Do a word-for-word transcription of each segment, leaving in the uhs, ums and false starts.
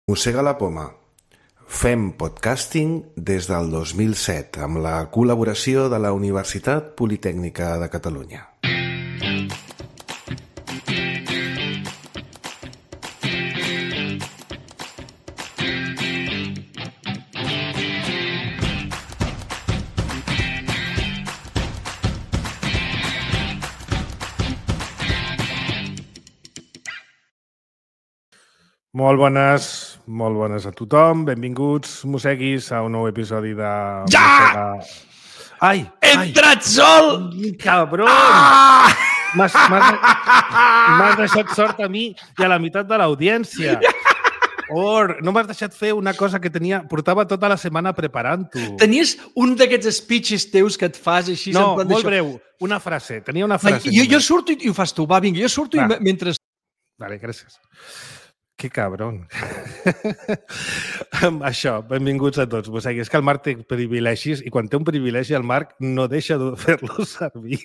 Mossega la poma. Fem podcasting des del dos mil set amb la col·laboració de la Universitat Politècnica de Catalunya. Molt bones, molt bones a tothom. Benvinguts, mosseguis, a un nou episodi de... Ja! Mossega... Ai! He ai. entrat sol! Cabron! Ah! M'has m'has deixat sort a mi i a la meitat de l'audiència. Or, no m'has deixat fer una cosa que tenia... Portava tota la setmana preparant-ho. Tenies un d'aquests speeches teus que et fas així... No, en plan molt d'això. breu. Una frase. Tenia una Va, frase. jo, jo surto i, i ho fas tu. Va, vinga, jo surto Va. i me- mentre... Vale, gràcies. Que cabron. Això, benvinguts a tots. Mosegui, és que el Marc té privilegis i quan té un privilegi el Marc no deixa de fer-lo servir.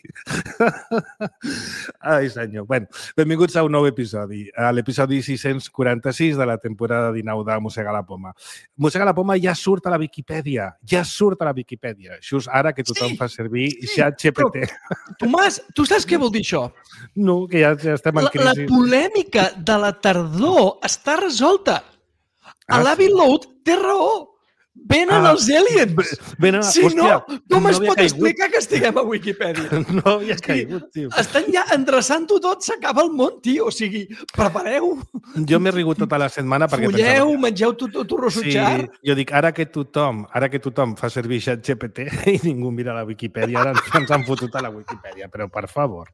Ai, senyor. Bueno, benvinguts a un nou episodi, a l'episodi sis-cents quaranta-sis de la temporada dinou de Mossega la poma. Mossega la poma ja surt a la Viquipèdia. Ja surt a la Viquipèdia. Just ara que tothom Sí, fa servir sí, ChatGPT. Tomàs, tu saps què vol dir això? No, que ja, ja estem en La, la crisi. polèmica de la tardor està resolta. Ah, A l'Abbey Road té raó. Venen Ah, els aliens. Venen, Si hòstia, no, com no es havia pot caigut. explicar que estiguem a Wikipedia? No havia caigut, tio. Estan ja endreçant-ho tot, s'acaba el món, tio. O sigui, prepareu, Jo m'he rigut tota la setmana perquè fulleu, pensava... mengeu tot tot rossutxar. Sí, jo dic, ara que tothom, ara que tothom fa servir ChatGPT i ningú mira la Viquipèdia, ara ens, ens han fotut a la Viquipèdia, però per favor.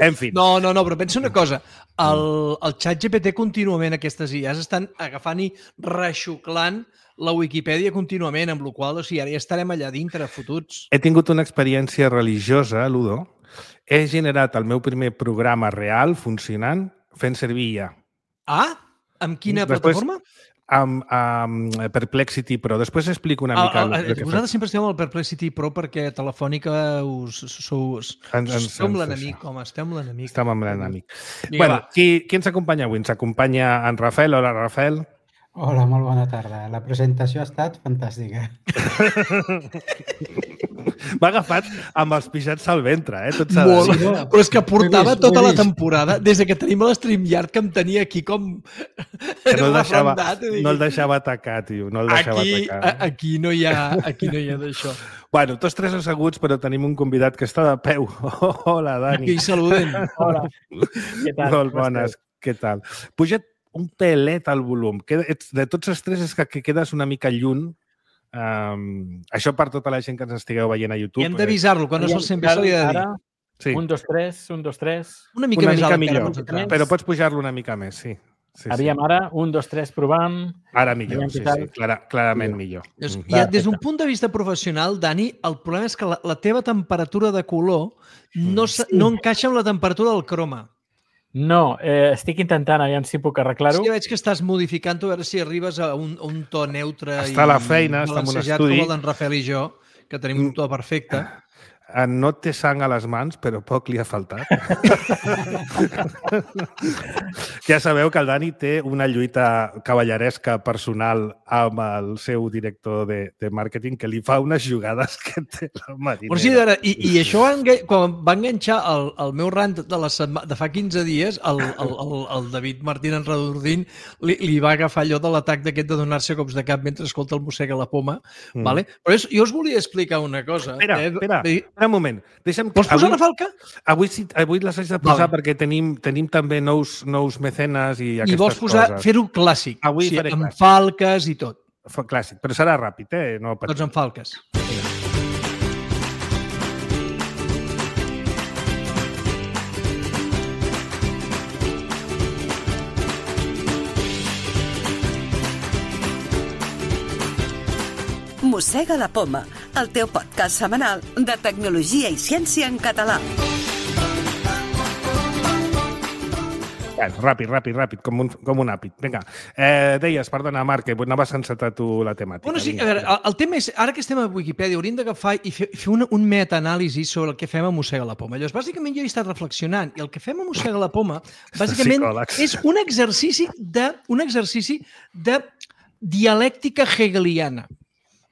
En fi, No, no, no, però pensa una cosa. El, el xat G P T contínuament, aquestes I As, estan agafant i reixuclant la Wikipedia contínuament, amb la qual cosa, o sigui, ara ja estarem allà dintre, fotuts. he tingut una experiència religiosa, Ludo. He generat el meu primer programa real funcionant fent servir I A. Ah? Amb quina Després- plataforma? Amb, amb Perplexity Pro. Després explico una Ah, mica... ah, el que vosaltres sempre esteu amb el Perplexity Pro perquè a Telefònica us, sou, us, Ens- ens- esteu amb ens- l'enemic, home, esteu amb l'enemic. Estem amb l'enemic. Vinga, Bueno, va. qui, qui ens acompanya avui? Ens acompanya en Rafael. Hola, Rafael. Hola, molt bona tarda. La presentació ha estat fantàstica. M'ha agafat amb els pixats al ventre, eh? Tot s'ha de Molt, dir. no? però és que portava Ho he vist, tota ho he la vist. temporada, des de que tenim l'StreamYard, que em tenia aquí com... Que no el deixava, refrendat, i dic, no el deixava atacar, tio. No el deixava aquí, atacar. a- aquí no hi ha, aquí no hi ha d'això. Bueno, tots tres asseguts, però tenim un convidat que està de peu. Hola, Dani. Aquí saluden. Hola, què tal? Molt Com bones. esteu? Què tal? Puja't un pelet al volum. Que ets, de tots els tres és que, que quedes una mica lluny. Um, això per tota la gent que ens estigueu veient a YouTube. I hem d'avisar-lo, quan no se'l sent bé se li ha de dir. Ara, Sí, un, dos, tres, un, dos, tres. Una mica una més mica alt, millor, encara, concentrat. però pots pujar-lo una mica més, sí. sí, sí. Aviam, ara, un, dos, tres, provant. Ara millor, aviam sí, què tal. sí, clara, clarament millor. Llavors, Mm. ja, Va, des d'un perfecte. punt de vista professional, Dani, el problema és que la, la teva temperatura de color no, Mm. sí. no encaixa amb la temperatura del croma. No, eh, estic intentant, aviam si puc arreglar-ho. Sí, veig que estàs modificant-ho, a veure si arribes a un, a un to neutre Està a la feina, i està en un balancejat estudi. com el d'en Rafael i jo, que tenim un to perfecte. Eh, No té sang a les mans, però poc li ha faltat. Ja sabeu que el Dani té una lluita cavalleresca personal amb el seu director de, de màrqueting que li fa unes jugades que té la marinera. Però sí, ara, i, i això va enga- quan va enganxar el, el meu rant de, la setma, de fa quinze dies, el, el, el, el David Martín Enredordín li, li va agafar allò de l'atac d'aquest de donar-se cops de cap mentre escolta el mossega la poma. Mm. Vale? Però és, jo us volia explicar una cosa. Espera, eh? espera. I- Espera un moment. Deixa'm... Vols posar avui, la falca? avui, sí, avui les haig de posar Vale. perquè tenim, tenim també nous, nous mecenes i I aquestes vols posar, coses. fer-ho clàssic. Avui o sigui, faré amb clàssic. falques i tot. Fa clàssic, però serà ràpid, eh? No patiu. Tots amb falques. Mossega la poma, el teu podcast setmanal de tecnologia i ciència en català. Bueno, ràpid, ràpid, ràpid, com un, com un àpid. Vinga, eh, deies, perdona, Marc, que anaves a encetar tu la temàtica. Bueno, sí, Vinga, a veure, el, el tema és, ara que estem a Wikipedia, hauríem d'agafar i fer, fer un, un metaanàlisi sobre el que fem a Mossega la Poma. Llavors, bàsicament, jo he estat reflexionant i el que fem a Mossega la Poma, bàsicament, Psicòlegs. és un exercici de, un exercici de dialèctica hegeliana.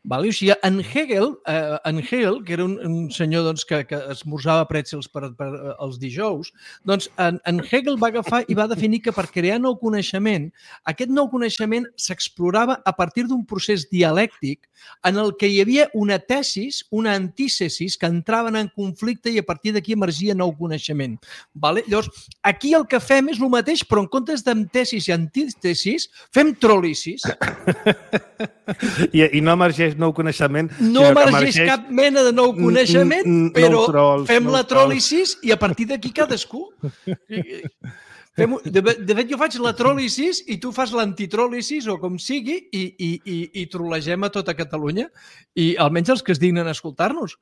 Vale? O sigui, en Hegel, eh, en Hegel, que era un, un senyor doncs, que, que esmorzava pretzels per, per eh, els dijous, doncs en, en Hegel va agafar i va definir que per crear nou coneixement, aquest nou coneixement s'explorava a partir d'un procés dialèctic en el que hi havia una tesis, una antítesis que entraven en conflicte i a partir d'aquí emergia nou coneixement. Vale? Llavors, aquí el que fem és el mateix, però en comptes d'antítesis i antítesis, fem tròlisis. I, I no emergeix nou coneixement. No emergeix cap mena de nou coneixement, però trolls, fem no la tròlisis i a partir d'aquí cadascú. Fem, de, de fet, jo faig la tròlisis i tu fas l'antitròlisis o com sigui i, i, i, i trolegem a tota Catalunya i almenys els que es dignen a escoltar-nos.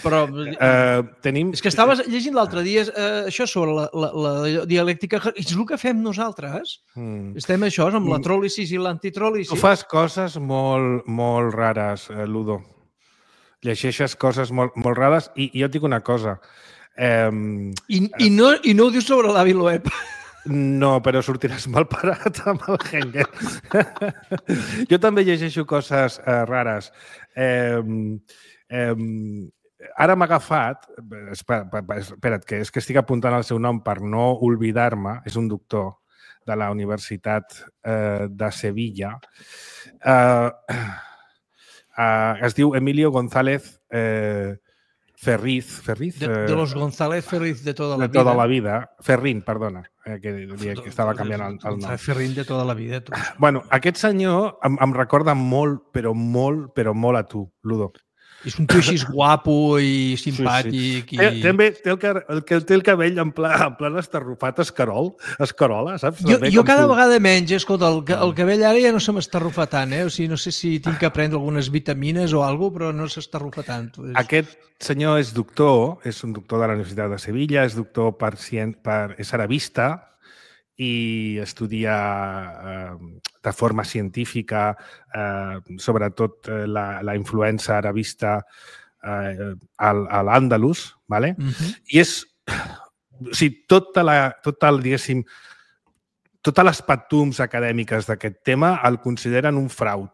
Però uh, tenim... és que estaves llegint l'altre dia uh, això sobre la, la, la dialèctica. És el que fem nosaltres. Mm. Estem això, amb la tròlisis i l'antitròlisis. Tu fas coses molt, molt rares, eh, Ludo. Llegeixes coses molt, molt rares i, i jo et dic una cosa. Eh, I, i, no, I no ho dius sobre l'avi Loeb. No, però sortiràs mal parat amb el Hengel. Jo també llegeixo coses eh, rares. Eh, eh, ara m'ha agafat... Espera, espera't, que és que estic apuntant el seu nom per no oblidar-me. És un doctor de la Universitat eh, de Sevilla. Eh, eh, es diu Emilio González eh, Ferriz. Ferriz de, de los González Ferriz de toda la de vida. De tota la vida. Ferrín, perdona, eh, que, que estava canviant el, el nom. Ferrín de tota la vida. Tu. Bueno, aquest senyor em, em recorda molt, però molt, però molt a tu, Ludo. És un tio així guapo i simpàtic. Sí, sí. I... També té el, el, té el cabell en pla, en plan estarrufat escarol, escarola, saps? Jo, jo cada tu. vegada menys, escolta, el, el cabell ara ja no se m'estarrufa tant, eh? O sigui, no sé si tinc que prendre algunes vitamines o alguna cosa, però no s'estarrufa tant. Aquest senyor és doctor, és un doctor de la Universitat de Sevilla, és doctor per, per és arabista, i estudia eh, de forma científica eh, sobretot eh, la, la influència arabista eh, al, a l'Àndalus, ¿vale? Uh-huh. I és, o sigui, tota la, tot el, diguéssim, totes les patums acadèmiques d'aquest tema el consideren un frau.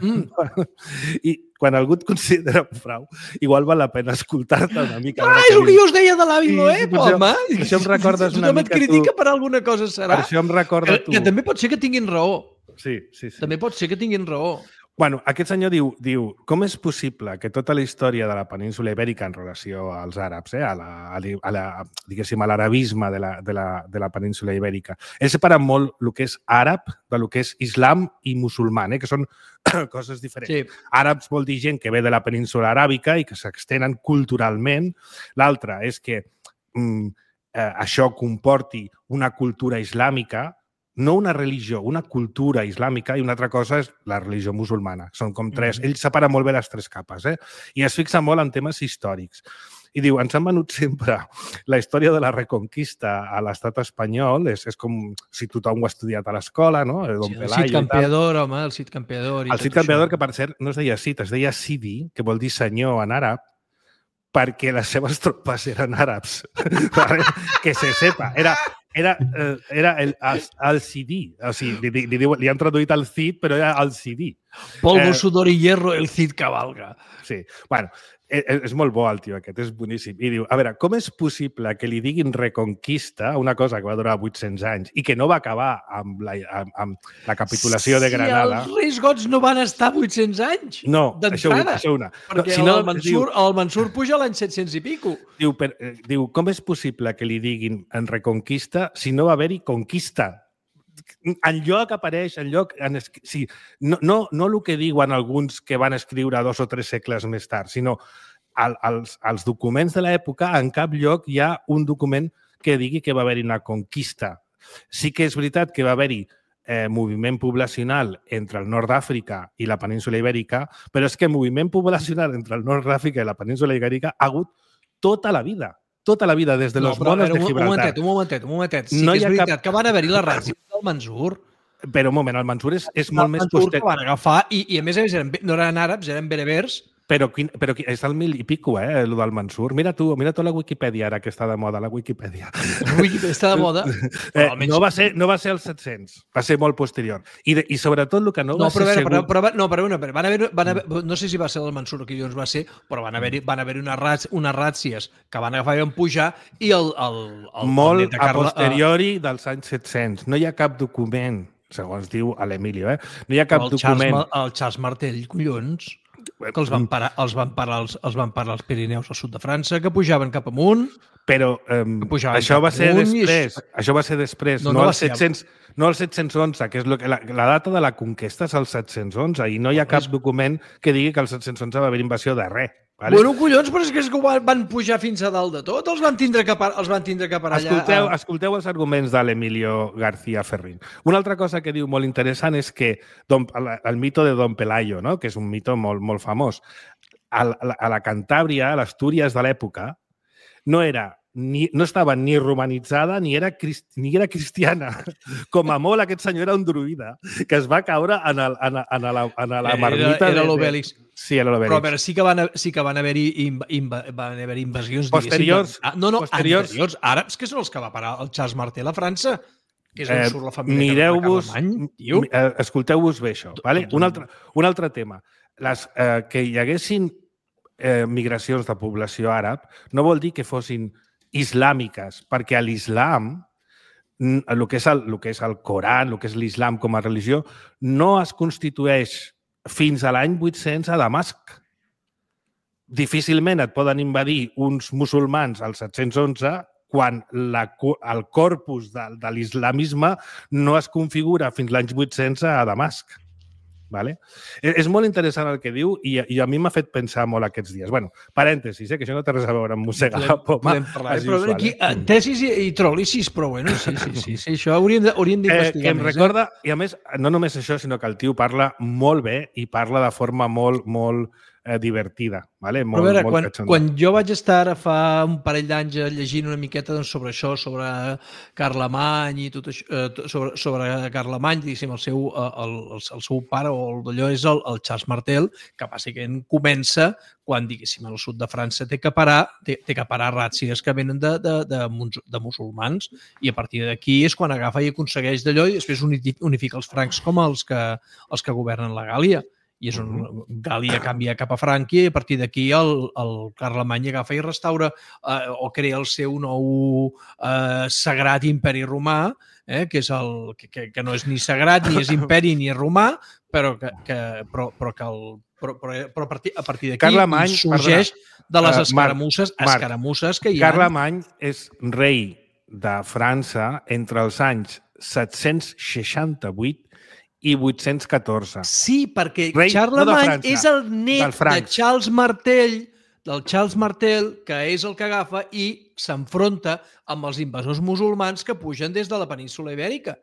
Mm. I quan algú et considera un frau, igual val la pena escoltar-te una mica. Ah, és el que jo us deia de l'avi Loeb, home! Per això em recordes una mica tu. Tu critica per alguna cosa, serà? Per això em recorda que, tu. Que també pot ser que tinguin raó. Sí, sí, sí. També pot ser que tinguin raó. Bueno, aquest senyor diu, diu, com és possible que tota la història de la península ibèrica en relació als àrabs, eh, a la, a la, diguéssim, a l'arabisme de la, de, la, de la península ibèrica, ell separa molt el que és àrab de lo que és islam i musulman, eh, que són coses diferents. Sí. Àrabs vol dir gent que ve de la península aràbica i que s'extenen culturalment. L'altre és que mm, eh, això comporti una cultura islàmica, no una religió, una cultura islàmica, i una altra cosa és la religió musulmana. Són com tres. Mm-hmm. Ell separa molt bé les tres capes, eh? I es fixa molt en temes històrics. I diu, ens han venut sempre la història de la Reconquista a l'estat espanyol, és, és com si tothom ho ha estudiat a l'escola, no? El, sí, el Cid Campeador, home, el Cid Campeador. El Cid Campeador, que per cert no es deia Cid, es deia Sidi, que vol dir senyor en àrab, perquè les seves tropes eren àrabs. Que se sepa. Era... Era, eh, era el, el, el C D. O sigui, li, li, li, li han traduït el Cid, però era el C D. Polvo, eh, sudor i hierro, el Cid cabalga. Sí. Bueno, és, és molt bo el tio aquest, és boníssim. I diu, a veure, com és possible que li diguin Reconquista, una cosa que va durar vuit-cents anys i que no va acabar amb la, amb, amb la capitulació de Granada? Si els Reis Gots no van estar vuit-cents anys no, això una, això una. Perquè no, si no, el, Mansur, diu, el Mansur puja l'any set-cents i pico. Diu, per, diu, com és possible que li diguin en Reconquista si no va haver-hi conquista? En lloc apareix, en lloc... En, sí, no, no, no el que diuen alguns que van escriure dos o tres segles més tard, sinó al, als, als documents de l'època, en cap lloc hi ha un document que digui que va haver-hi una conquista. Sí que és veritat que va haver-hi eh, moviment poblacional entre el nord d'Àfrica i la península ibèrica, però és que moviment poblacional entre el nord d'Àfrica i la península ibèrica ha hagut tota la vida. tota la vida, des de los però, monos veure, de un, un Gibraltar. momentet, un momentet, un momentet. Sí No que hi és ha veritat cap- que van haver-hi les ràtzies del Mansur. Però un moment, el Mansur és, és molt el més Mansur poster... que van agafar i, i a més a més eren, no eren àrabs, eren berebers. Però, quin, però qui- és el mil i pico, eh, el del Mansur. Mira tu, mira tu la Wikipedia, ara que està de moda, la Wikipedia. Wikipedia està de moda. Eh, no, va ser, no va ser als set-cents, va ser molt posterior. I, de, i sobretot el que no, No, va però, ser a veure, segur... però, però, no, però, no, però van haver, van haver, no sé si va ser el Mansur o qui llavors va ser, però van haver-hi van haver unes, rats, unes ràtzies que van agafar i van pujar i el, el, el, molt el net de a Carla, posteriori dels anys set-cents. No hi ha cap document, segons diu a l'Emilio, eh? No hi ha cap el Charles, document... Ma- el Charles Martell, collons, que els van parar, els van parar, els, els van parar als Pirineus al sud de França, que pujaven cap amunt. Però eh, pujaven això cap va ser amunt i després. Això va ser després, No, no, no va al ser- set-cents, no al set-cents onze, que és lo que, la, la data de la conquesta és el set-cents onze i no hi ha cap document que digui que al set-cents onze va haver invasió de res. Vale? Bueno, collons, però és que, és que van, van pujar fins a dalt de tot, els van tindre que parar, els van tindre que parar allà. Escolteu, a- escolteu els arguments de l'Emilio García Ferrín. Una altra cosa que diu molt interessant és que Don, el, el mito de Don Pelayo, no? Que és un mito molt, molt famós. A la, a la Cantàbria, a l'Astúries de l'època, no era ni, no estava ni romanitzada ni era, crist, ni era cristiana. Com a molt, aquest senyor era un druida que es va caure en, el, en, en, la, en la marmita. Era, era de- l'Obèlix. Sí, era l'Obèlix. Però a veure, sí que van, sí que van haver-hi inv, inv, van haver invasions, Posteriors- diguéssim. Ah, no, no, posteriors- anteriors, àrabs, que són els que va parar el Charles Martel a França, que és on Eh, surt la família Mireu-vos, Carlemany, tio. mi- eh, escolteu-vos bé això. Vale? Un, altre, un altre tema. Les, eh, que hi haguessin eh, migracions de població àrab no vol dir que fossin islàmiques, perquè a l'islam, mm, el que és el, el que és el Coran, el que és l'islam com a religió, no es constitueix fins a l'any vuit-cents a Damasc. Difícilment et poden invadir uns musulmans al set-cents onze quan la, el corpus de, de l'islamisme no es configura fins l'any vuit-cents a Damasc. Vale? És, és molt interessant el que diu i, i a mi m'ha fet pensar molt aquests dies. Bueno, parèntesis, eh, que això no té res a veure amb mossegar la poma. Podem parlar, as eh? Però usual, aquí, eh? eh, tesis i, i tròlisis, però bueno, sí, sí, sí, sí això hauríem de- hauríem Eh, d'investigar que em més. recorda, i a més, no només això, sinó que el tio parla molt bé i parla de forma molt, molt eh, divertida. Vale? Però Molt, a veure, molt quan, cachonda. quan jo vaig estar ara fa un parell d'anys llegint una miqueta doncs, sobre això, sobre Carlemany i tot això, eh, sobre, sobre Carlemany, diguéssim, el seu, eh, el, el, el seu pare o el d'allò és el, el Charles Martel, que bàsicament comença quan, diguéssim, al sud de França té que parar, té, té que parar ràtzies que venen de, de, de, mus- de musulmans i a partir d'aquí és quan agafa i aconsegueix d'allò i després uni- unifica els francs com els que, els que governen la Gàlia. I és on Gàlia canvia cap a Frànquia i a partir d'aquí el, el Carlemany agafa i restaura eh, o crea el seu nou eh, sagrat imperi romà, eh, que, és el, que, que, que no és ni sagrat, ni és imperi, ni és romà, però que, que, però, però que el, però, però, però a partir, a partir d'aquí Carlemany, sorgeix de les Eh, Marc, escaramusses, Marc, escaramusses que hi ha. Carlemany és rei de França entre els anys set-cents seixanta-vuit i vuit-cents catorze. Sí, perquè Rei, Charlemagne no de França, és el net dels de francs. Charles Martel, del Charles Martel, que és el que agafa i s'enfronta amb els invasors musulmans que pugen des de la península Ibèrica.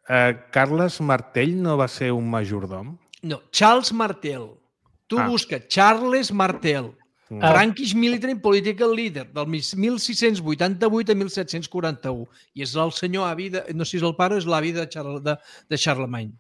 Eh, Carles Martell no va ser un majordom? No, Charles Martel. Tu Ah. busca Charles Martel, Mm. Frankish Military and Political Leader, del mil sis-cents vuitanta-vuit a mil set-cents quaranta-u. I és el senyor avi, de, no sé si és el pare o és l'avi de, Charles, de, de Charlemagne.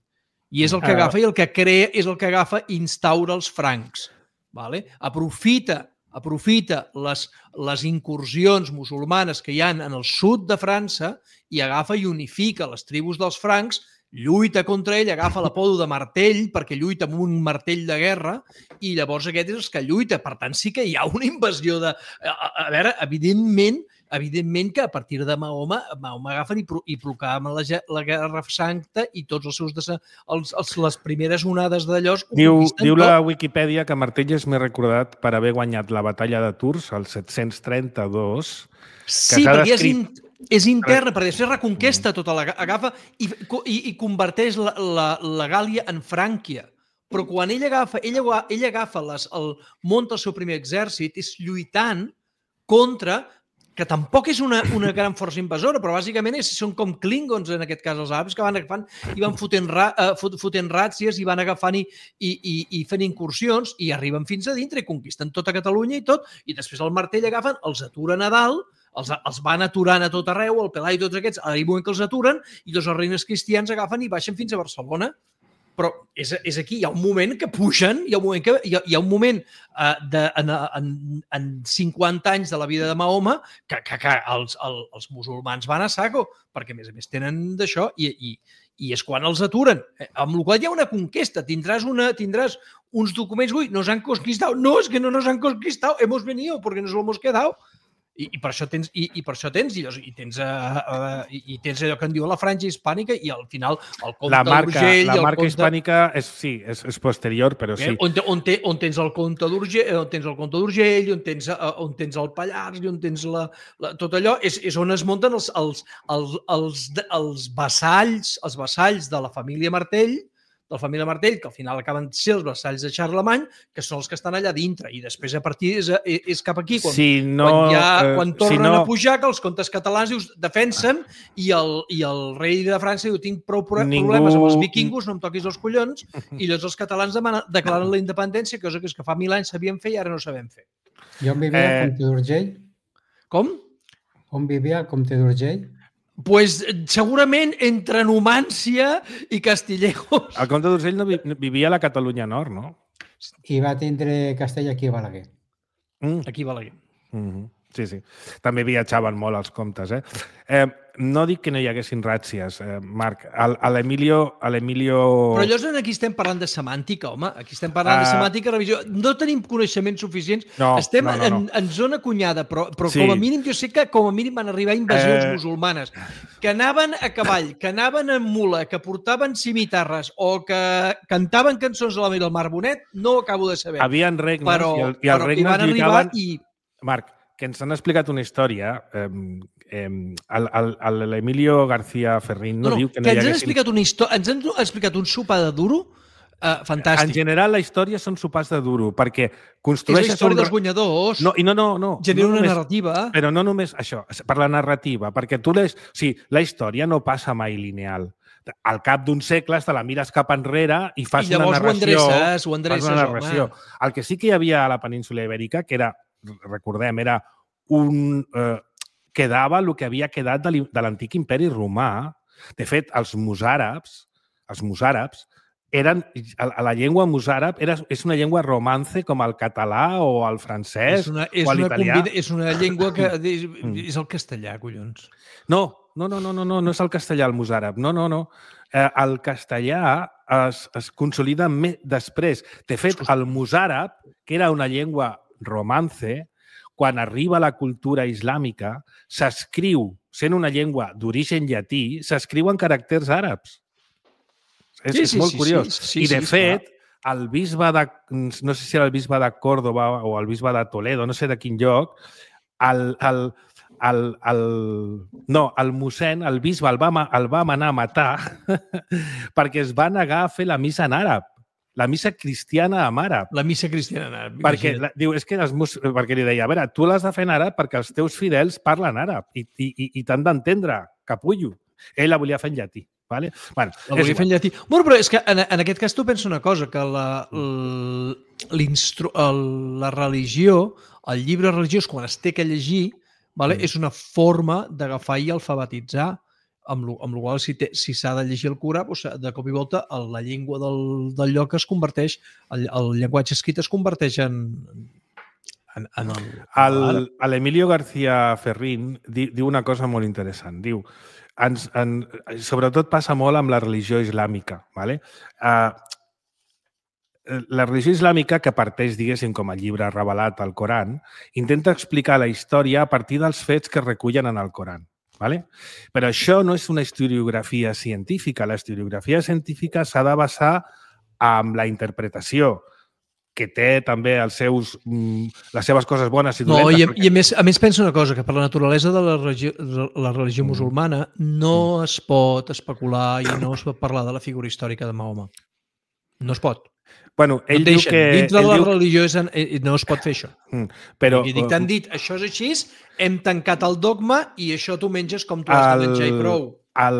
I és el que Ah. agafa i el que crea, és el que agafa i instaura els francs. Vale? Aprofita aprofita les, les incursions musulmanes que hi han en el sud de França i agafa i unifica les tribus dels francs, lluita contra ell, agafa l'apodo de martell perquè lluita amb un martell de guerra i llavors aquest és el que lluita. Per tant, sí que hi ha una invasió de... A, a veure, evidentment, evidentment que a partir de Mahoma, Mahoma agafen i, pro, i proclamen la, ge- la Guerra Santa i tots els seus... Desa, els, els, les primeres onades d'allò ho Diu, conquisten diu tot. la Wikipedia que Martell és més recordat per haver guanyat la batalla de Tours al set-cents trenta-dos. Sí, s'ha perquè és, descrit- in, és interna, perquè després reconquesta tota la... Agafa i, i, i converteix la, la, la Gàlia en Frànquia. Però quan ell agafa, ell, agua- ell agafa les, el, munta el seu primer exèrcit, és lluitant contra que tampoc és una, una gran força invasora, però bàsicament és, són com klingons, en aquest cas, els àrabs, que van agafant i van fotent, ra, uh, fot, fotent ràtzies i van agafant i, i, i, i fent incursions i arriben fins a dintre i conquisten tota Catalunya i tot, i després el martell agafen, els aturen a dalt, els, els van aturant a tot arreu, el Pelai i tots aquests, a un moment que els aturen, i dos els reines cristians agafen i baixen fins a Barcelona. Però és, és aquí, hi ha un moment que pugen, hi ha un moment, que, hi ha, hi ha un moment uh, de, en, en, en cinquanta anys de la vida de Mahoma que, que, que els, el, els musulmans van a saco, perquè a més a més tenen d'això i, i, i és quan els aturen. Amb la qual hi ha una conquesta, tindràs, una, tindràs uns documents, ui, nos han conquistado, no, es que no nos han conquistado, hemos venido porque nos lo hemos quedado. I, i per això tens i, i per això tens i, i tens uh, uh, i, i tens allò que en diu la franja hispànica i al final el comte la marca, d'Urgell la el marca comte... hispànica és, sí, és, és posterior, però sí. Eh, on, on, te, on tens el comte d'Urgell, on tens el comte d'Urgell, on tens uh, on tens el Pallars i on tens la, la tot allò és, és on es munten els els els els, els vassalls, els vassalls de la família Martell, de la família Martell, que al final acaben sent els vassalls de Charlemagne, que són els que estan allà dintre. I després, a partir, és, és cap aquí, quan, si no, quan, ja, quan tornen si no... a pujar, que els comtes catalans dius, defensen, i el, i el rei de França diu, tinc prou problemes Ningú... amb els vikingos, no em toquis els collons, i llavors els catalans demanen, declaren la independència, cosa que és que fa mil anys sabíem fer i ara no sabem fer. I on vivia Eh... el comte d'Urgell? Com? On vivia el comte d'Urgell? Pues segurament entre Numància i Castillejos. El comte d'Urgell no vi, vivia a la Catalunya Nord, no? I va tindre castell aquí a Balaguer. Mm. Aquí a Balaguer. Mm-hmm. Sí, sí. També viatjaven molt els comtes, eh? eh no dic que no hi haguessin ràtzies, eh, Marc. A l'Emilio... Però llavors aquí estem parlant de semàntica, home. Aquí estem parlant uh... de semàntica, revisió. No tenim coneixements suficients. No, estem no, no, no. En, en zona cunyada, però, però sí. com a mínim jo sé que com a mínim van arribar invasions eh... musulmanes, que anaven a cavall, que anaven en mula, que portaven cimitarres o que cantaven cançons de la Mira del Mar Bonet, no ho acabo de saber. Havien regnes però, i, el, i els però regnes van lluitaven... i... Marc, que ens han explicat una història, eh, eh, l'Emilio García Ferrín no, no diu que no que hi ens haguessin... han explicat una història, ens han explicat un sopar de duro uh, fantàstic. En general, la història són sopars de duro, perquè És construeixes... la història un... dels guanyadors, no, i no, no, no, genera no una només, narrativa. Però no només això, per la narrativa, perquè tu les... O sigui, la història no passa mai lineal. Al cap d'un segle te la mires cap enrere i fas I una llavors narració. ho endreces, ho endreces, fas una narració. home. El que sí que hi havia a la península Ibèrica, que era, recordem, era un... Eh, quedava el que havia quedat de l'antic imperi romà. De fet, els mozàrabs, els mozàrabs eren, a la llengua mozàrab era, és una llengua romance com el català o el francès és una, és o una l'italià. combina, és una llengua que és, és el castellà, collons. No, no, no, no, no, no, no és el castellà el mozàrab. No, no, no. Eh, el castellà es, es consolida més després. De fet, el mozàrab, que era una llengua romance, quan arriba la cultura islàmica, s'escriu, sent una llengua d'origen llatí, s'escriu en caràcters àrabs. És, sí, és sí, molt sí, curiós. Sí, sí, I, de sí, fet, el bisbe de... No sé si era el bisbe de Còrdova o el bisbe de Toledo, no sé de quin lloc, el, el, el, el, no, el mossèn, el bisbe, el va, el va manar a matar perquè es va negar a fer la missa en àrab. La missa cristiana en àrap. La missa cristiana en àrap. Perquè, la, diu, és que els mus... perquè li deia, a veure, tu l'has de fer en àrap perquè els teus fidels parlen àrap i, i, i, i t'han d'entendre, capullo. Ell la volia fer en llatí. Vale? Bueno, la volia fer en llatí. Bueno, però és que en, en aquest cas tu pensa una cosa, que la, la religió, el llibre religiós, quan es té que llegir, vale, mm. és una forma d'agafar i alfabetitzar, amb el qual si s'ha si de llegir el Corà, doncs, de cop i volta la llengua del, del lloc es converteix, el, el llenguatge escrit es converteix en, en, en el... L'Emilio García Ferrín di, diu una cosa molt interessant. Diu, ens, en, sobretot passa molt amb la religió islàmica. Vale? Uh, la religió islàmica, que parteix, diguéssim, com a llibre revelat al Coran, intenta explicar la història a partir dels fets que recullen en el Coran. Vale? Però això no és una historiografia científica. La historiografia científica s'ha de basar en la interpretació, que té també els seus, les seves coses bones i dolentes. No, i, a, perquè... i a, més, a més penso una cosa, que per la naturalesa de la religió, la religió mm. musulmana no mm. es pot especular i no es pot parlar de la figura històrica de Mahoma. No es pot. Bueno, ell no diu deixen. que... Dintre de ell la diu... religió és, eh, no es pot fer això. Mm, però... I dic, t'han dit, això és així, hem tancat el dogma i això tu menges com tu has d'enganxar i prou. El,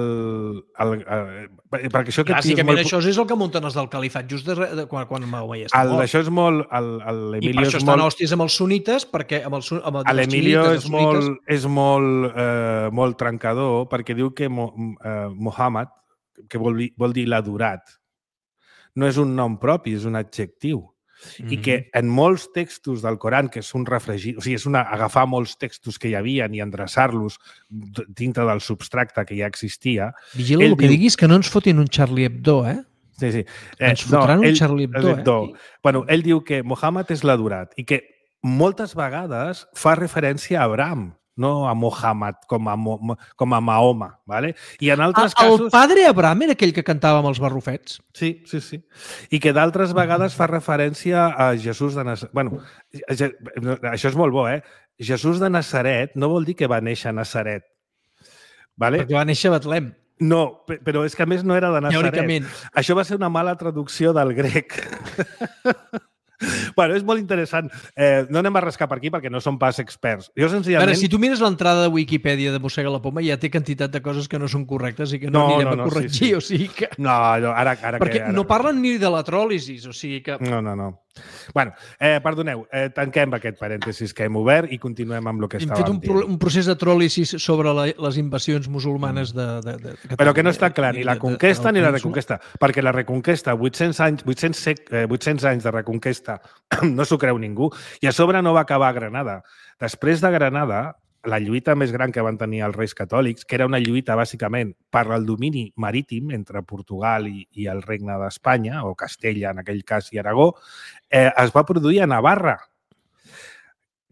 el, el, perquè això que Bàsicament molt... això és el que munten els del califat just de, de, quan, quan Mahoma ja està el, mort. això és molt... El, el I per això és estan molt... hòsties amb els sunites, perquè amb el, amb el, L'Emilio és, els sunites, molt, és molt, eh, molt trencador perquè diu que Mo, eh, Muhammad, que vol dir, vol dir l'adorat, no és un nom propi, és un adjectiu. Mm-hmm. I que en molts textos del Coran, que és un refregir, o sigui, és una, agafar molts textos que hi havia i endreçar-los dintre del substracte que ja existia... Vigila el que diu... diguis, que no ens fotin un Charlie Hebdo, eh? Sí, sí. Eh, ens fotran no, un ell, Charlie Hebdo, Hebdo. eh? Bueno, ell diu que Muhammad és l'adorat i que moltes vegades fa referència a Abraham, no a Muhammad, com a, com a Mahoma, ¿vale? I en altres el casos... El padre Abraham era aquell que cantava amb els barrufets? Sí, sí, sí. I que d'altres vegades fa referència a Jesús de Nazaret. Bueno, això és molt bo, eh? Jesús de Nazaret no vol dir que va néixer a Nazaret. ¿Vale? Perquè va néixer a Betlem. No, però és que a més no era de Nazaret. Teòricament. Això va ser una mala traducció del grec. Bueno, és molt interessant. Eh, no anem a rascar per aquí perquè no som pas experts. Jo senzillament... A veure, si tu mires l'entrada de Wikipedia de Mossega la Poma, ja té quantitat de coses que no són correctes i que no, no anirem no, no, a corregir, sí, sí. O sigui que... No, no ara, ara perquè que... Ara... no parlen ni de la tròlisis, o sigui que... No, no, no. Bueno, eh, perdoneu, eh, tanquem aquest parèntesis que hem obert i continuem amb el que hem estàvem fet un, dient. un procés de tròlisis sobre la, les invasions musulmanes de, de, de Catalunya. Però que no està clar ni la conquesta ni la reconquesta, perquè la reconquesta, vuit-cents anys, vuit-cents, eh, vuit-cents anys de reconquesta, no s'ho creu ningú, i a sobre no va acabar a Granada. Després de Granada, la lluita més gran que van tenir els reis catòlics, que era una lluita bàsicament per al domini marítim entre Portugal i, i el regne d'Espanya, o Castella en aquell cas i Aragó, eh, es va produir a Navarra,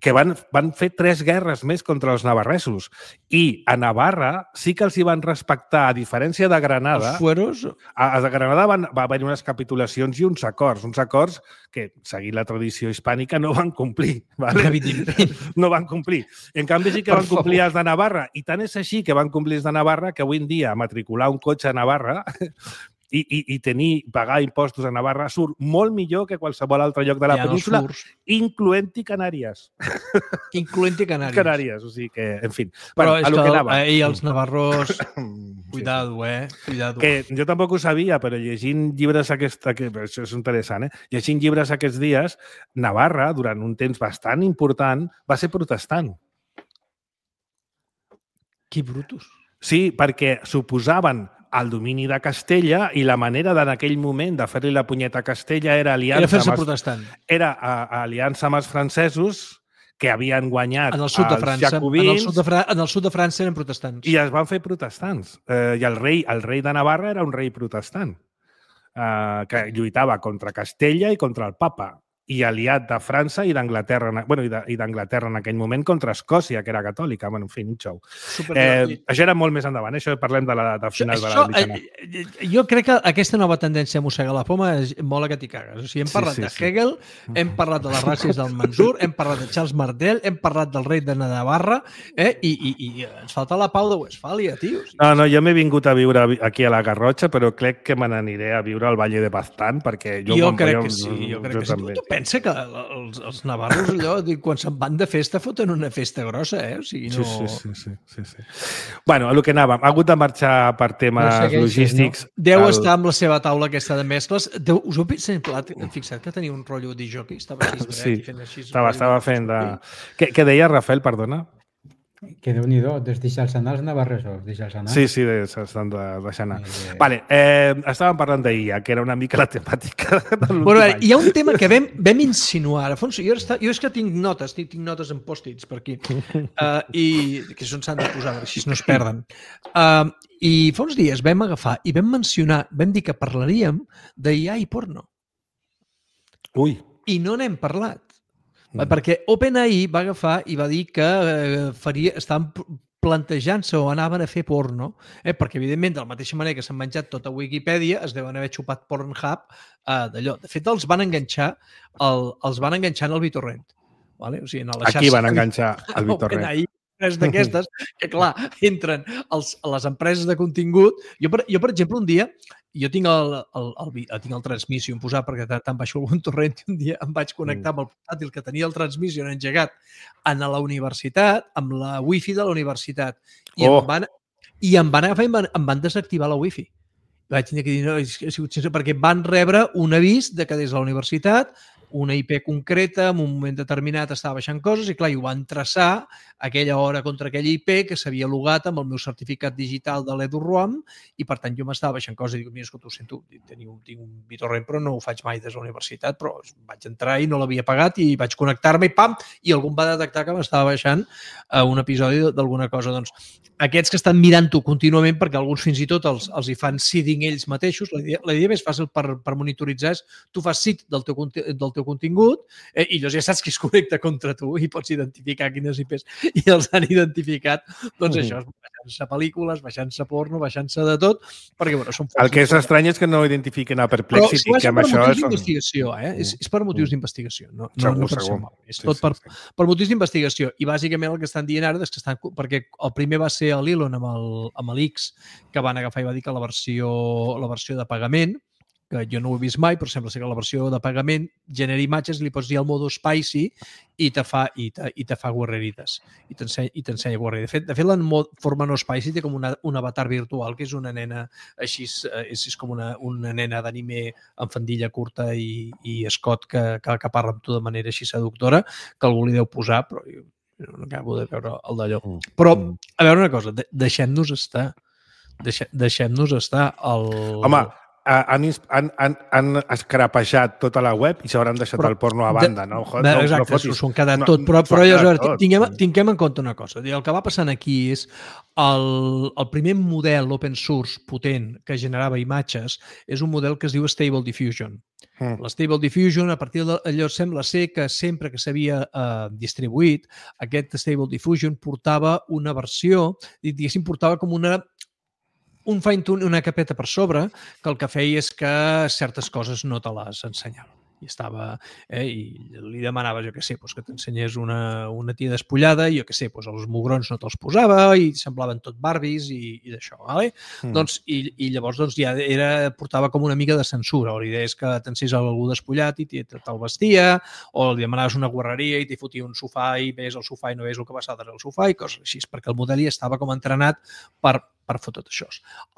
que van, van fer tres guerres més contra els navarresos. I a Navarra sí que els hi van respectar, a diferència de Granada... Els fueros... A, a Granada van, va haver unes capitulacions i uns acords. Uns acords que, seguint la tradició hispànica, no van complir. ¿Vale? No van complir. En canvi, sí que van complir els de Navarra. I tant és així que van complir els de Navarra que avui en dia matricular un cotxe a Navarra... I, i, i tenir, pagar impostos a Navarra surt molt millor que qualsevol altre lloc de la península, incloent-hi Canàries. Incloent-hi Canàries. Canàries, o sigui que, en fi. Però bueno, és a lo que, que anava. Eh, els navarros... Cuidado, eh? Cuidado. Que jo tampoc ho sabia, però llegint llibres aquesta... Que, això és interessant, eh? Llegint llibres aquests dies, Navarra, durant un temps bastant important, va ser protestant. Que brutos. Sí, perquè suposaven el domini de Castella i la manera d'en aquell moment de fer-li la punyeta a Castella era aliança, era fer-se amb els, protestant. Era a, a aliança amb els francesos que havien guanyat en el sud de França, els jacobins. En el sud de, Fra en el sud de França eren protestants. I es van fer protestants. Eh, I el rei, el rei de Navarra era un rei protestant eh, que lluitava contra Castella i contra el papa i aliat de França i d'Anglaterra bueno, i d'Anglaterra en aquell moment contra Escòcia, que era catòlica. Bueno, en fi, un xou. Eh, això era molt més endavant, eh? Això parlem de la de final això, de la mitjana. Eh, jo crec que aquesta nova tendència a mossegar la poma és mola que t'hi cagues. O sigui, hem parlat sí, sí, de sí. Hegel, hem parlat de les ràcies del Mansur, hem parlat de Charles Martel, hem parlat del rei de Navarra, eh? I, i, i ens falta la Pau de Westfàlia, tio. O sigui, no, no, jo m'he vingut a viure aquí a la Garrotxa, però crec que me n'aniré a viure al Valle de Baztán, perquè jo... Jo crec que sí, jo crec que sí. Tu pensa que els, els navarros, allò, quan se'n van de festa, foten una festa grossa, eh? O sigui, no... Sí, sí, sí, sí, sí. Bueno, a lo que anàvem, ha hagut de marxar per temes no segueixes, logístics. No? Deu el... estar amb la seva taula aquesta de mescles. Deu, us heu fixat que tenia un rotllo de jockey? Estava així, sí, fent així, estava, estava fent de... Què, què deia, Rafael, perdona? Que Déu-n'hi-do, des deixar anar els navarresos, deixar anar. Sí, sí, s'estan de, deixar anar. Eh... Vale, eh, estàvem parlant d'I A, que era una mica la temàtica de l'últim bueno, any. Hi ha un tema que vam, vam insinuar. Alfonso, jo, està, jo és que tinc notes, tinc, tinc notes en pòstits per aquí, uh, i que són s'han de posar, així no es perden. Uh, I fa uns dies vam agafar i vam mencionar, vam dir que parlaríem d'I A i porno. Ui. I no n'hem parlat. Mm. Perquè OpenAI va agafar i va dir que eh, faria, estaven plantejant-se o anaven a fer porno, eh? Perquè, evidentment, de la mateixa manera que s'han menjat tota Wikipedia, es deuen haver xupat Pornhub eh, d'allò. De fet, els van enganxar, el, els van enganxar en el BitTorrent. Vale? O sigui, en la Aquí van enganxar el BitTorrent. OpenAI empreses d'aquestes, que clar, entren els, a les empreses de contingut. Jo, per, jo, per exemple, un dia, jo tinc el, el, el, el, tinc el Transmission posat perquè tant baixo algun torrent i un dia em vaig connectar amb el portàtil que tenia el Transmission engegat a la universitat, amb la wifi de la universitat. I, oh. em, van, i em van agafar i em van, em van desactivar la wifi. Vaig tenir que dir, no, és, és, és, perquè van rebre un avís de que des de la universitat una I P concreta, en un moment determinat estava baixant coses i, clar, i ho van traçar aquella hora contra aquella I P que s'havia logat amb el meu certificat digital de l'EduROM i, per tant, jo m'estava baixant coses i dic, mira, escolta, ho sento, tinc un, tinc un BitTorrent, però no ho faig mai des de la universitat, però vaig entrar i no l'havia pagat i vaig connectar-me i pam, i algú va detectar que m'estava baixant uh, un episodi d'alguna cosa. Doncs, aquests que estan mirant-ho contínuament, perquè alguns fins i tot els, els hi fan seeding ells mateixos, la idea, la idea més fàcil per, per monitoritzar és tu fas seed del teu, del teu contingut eh, i llavors ja saps qui es connecta contra tu i pots identificar quines I Ps i els han identificat, doncs això, baixant-se pel·lícules, baixant-se porno, baixant-se de tot, perquè bueno, són... El que és estrany és que no identifiquen a Perplexity, però, si que amb això... Però és per motius d'investigació, eh? És, és per motius d'investigació, no, no, segur, no per segur. mal. És sí, tot sí, per, sí. per motius d'investigació. I bàsicament el que estan dient ara és que estan... Perquè el primer va ser l'Elon amb el, amb l'X, que van agafar i va dir que la versió, la versió de pagament, que jo no ho he vist mai, però sembla ser que la versió de pagament genera imatges, li pots dir el modo spicy i te fa, i te, i te fa guarrerides. I t'ensenya guarrerides. De fet, de fet, la forma no spicy té com una, un avatar virtual, que és una nena així, és, és com una, una nena d'anime amb faldilla curta i, i escot que, que, que parla amb tu de manera així seductora, que algú li deu posar, però jo no acabo de veure el d'allò. Però, a veure una cosa, deixem-nos estar. Deixem, deixem-nos estar. El... Home, han, han, han, han escrapejat tota la web i s'hauran deixat però, el porno a banda, no? Joder, no exacte, no s'ho han quedat no, tot, però, però jo, veure, tinguem, tinguem en compte una cosa. El que va passant aquí és el, el primer model open source potent que generava imatges és un model que es diu Stable Diffusion. Mm. L'Stable Diffusion, a partir d'allò sembla ser que sempre que s'havia eh, distribuït, aquest Stable Diffusion portava una versió, diguéssim, portava com una un fine-tune, una capeta per sobre, que el que feia és que certes coses no te les ensenyava. I estava, eh, i li demanava, jo què sé, doncs que t'ensenyés una, una tia despullada i jo què sé, doncs els mugrons no te'ls posava i semblaven tot Barbies i, i d'això, vale? Mm. Doncs, i, i llavors doncs, ja era, portava com una mica de censura. La idea és que t'encés algú despullat i te'l vestia, o li demanaves una guarreria i t'hi fotia un sofà i ves el sofà i no ves el que passa darrere el sofà i coses així, perquè el model ja estava com entrenat per, per fer tot això.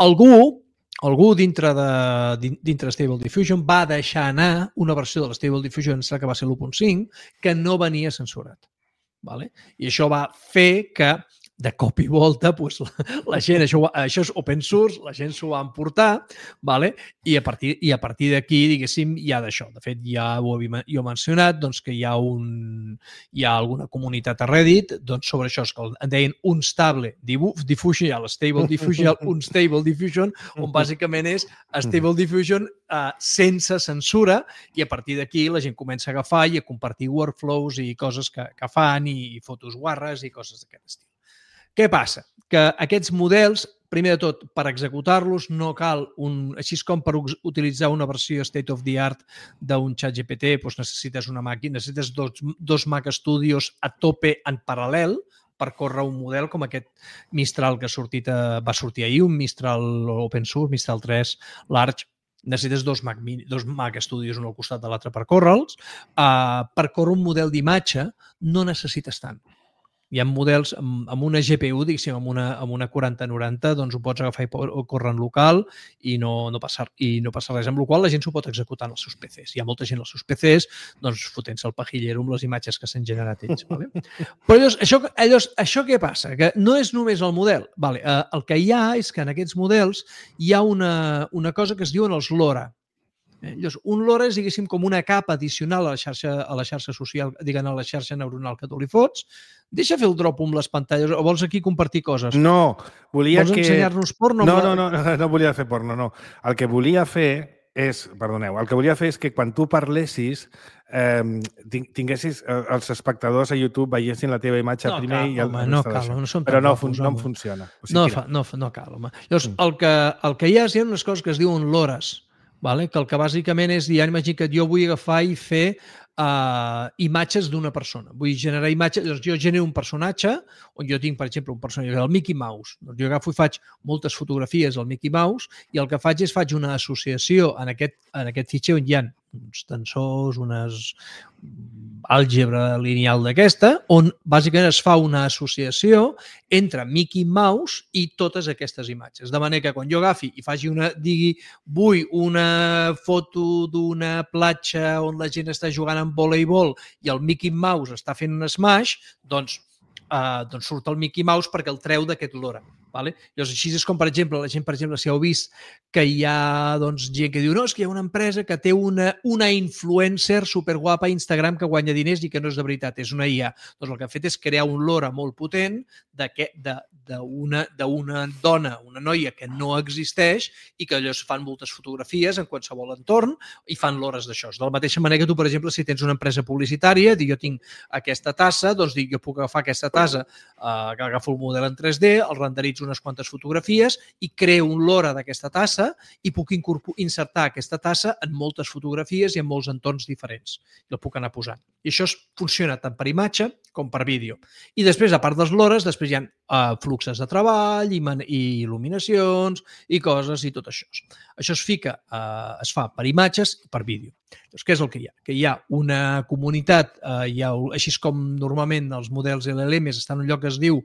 Algú Algú dintre de, dintre de Stable Diffusion va deixar anar una versió de la Stable Diffusion, que va ser l'u punt cinc, que no venia censurat. Vale? I això va fer que de cop i volta doncs, la, la gent, això, això és open source, la gent s'ho va emportar, vale? I a partir, i a partir d'aquí, diguéssim, hi ha d'això. De fet, ja ho havia jo mencionat, doncs, que hi ha, un, hi ha alguna comunitat a Reddit doncs, sobre això, que en deien Unstable Diffusion, ja l'Stable Diffusion, Unstable Diffusion, on bàsicament és Stable Diffusion uh, sense censura, i a partir d'aquí la gent comença a agafar i a compartir workflows i coses que, que fan, i fotos guarres i coses d'aquest estil. Què passa? Que aquests models, primer de tot, per executar-los no cal un... Així com per utilitzar una versió state of the art d'un ChatGPT, doncs necessites una màquina, necessites dos, dos Mac Studios a tope en paral·lel per córrer un model com aquest Mistral que ha sortit a, va sortir ahir, un Mistral open source, Mistral tres Large. Necessites dos Mac, dos Mac Studios un al costat de l'altre per córrer-los. Uh, per córrer un model d'imatge no necessites tant. Hi ha models amb, amb una G P U, diguéssim, amb una, amb una quaranta noranta, doncs ho pots agafar i córrer en local i no, no, passa, i no passa res, amb la qual cosa la gent s'ho pot executar en els seus P Cs. Hi ha molta gent als seus P Cs doncs, fotent-se el pajillero amb les imatges que s'han generat ells. Vale? Però llavors, això, llavors, això què passa? Que no és només el model. Vale, eh, el que hi ha és que en aquests models hi ha una, una cosa que es diuen els LoRa. Llavors, un LoRa és, diguéssim, com una capa addicional a la xarxa, a la xarxa social, diguem, a la xarxa neuronal que tu li fots. Deixa fer el drop amb les pantalles, o vols aquí compartir coses? No, volia vols que... Vols ensenyar-nos porno? No, no, no, no, no volia fer porno, no. El que volia fer és, perdoneu, el que volia fer és que quan tu parlessis eh, tinguessis, els espectadors a YouTube veiessin la teva imatge no primer cal, i el, home, no cal, no som però no, guapos, no em funciona. O sigui, no, fa, no, no cal, home. Llavors, mm. el, que, el que hi ha és hi ha unes coses que es diuen LoRas. vale? Que el que bàsicament és dir, imagina que jo vull agafar i fer uh, imatges d'una persona. Vull generar imatges, doncs jo genero un personatge on jo tinc, per exemple, un personatge, el Mickey Mouse. Doncs jo agafo i faig moltes fotografies del Mickey Mouse i el que faig és faig una associació en aquest, en aquest fitxer on hi ha uns tensors, unes àlgebra lineal d'aquesta, on bàsicament es fa una associació entre Mickey Mouse i totes aquestes imatges. De manera que quan jo agafi i faci una, digui, vull una foto d'una platja on la gent està jugant amb voleibol i el Mickey Mouse està fent un smash, doncs, eh, doncs surt el Mickey Mouse perquè el treu d'aquest lore. Vale? Llavors, així és com, per exemple, la gent, per exemple, si heu vist que hi ha doncs, gent que diu no, és que hi ha una empresa que té una, una influencer superguapa a Instagram que guanya diners i que no és de veritat, és una I A. Doncs el que ha fet és crear un lore molt potent d'una dona, una noia que no existeix i que llavors fan moltes fotografies en qualsevol entorn i fan lores d'això. De la mateixa manera que tu, per exemple, si tens una empresa publicitària, dic, jo tinc aquesta tassa, doncs dic, jo puc agafar aquesta tassa, eh, que agafo el model en tres D, el renderitzo unes quantes fotografies i creo un lore d'aquesta tassa i puc insertar aquesta tassa en moltes fotografies i en molts entorns diferents. I el puc anar posant. I això funciona tant per imatge com per vídeo. I després, a part dels lores, després hi ha uh, fluxes de treball i, i il·luminacions i coses i tot això. Això es fica, uh, es fa per imatges i per vídeo. Llavors, què és el que hi ha? Que hi ha una comunitat, uh, hi ha, així com normalment els models L L Ms estan en un lloc que es diu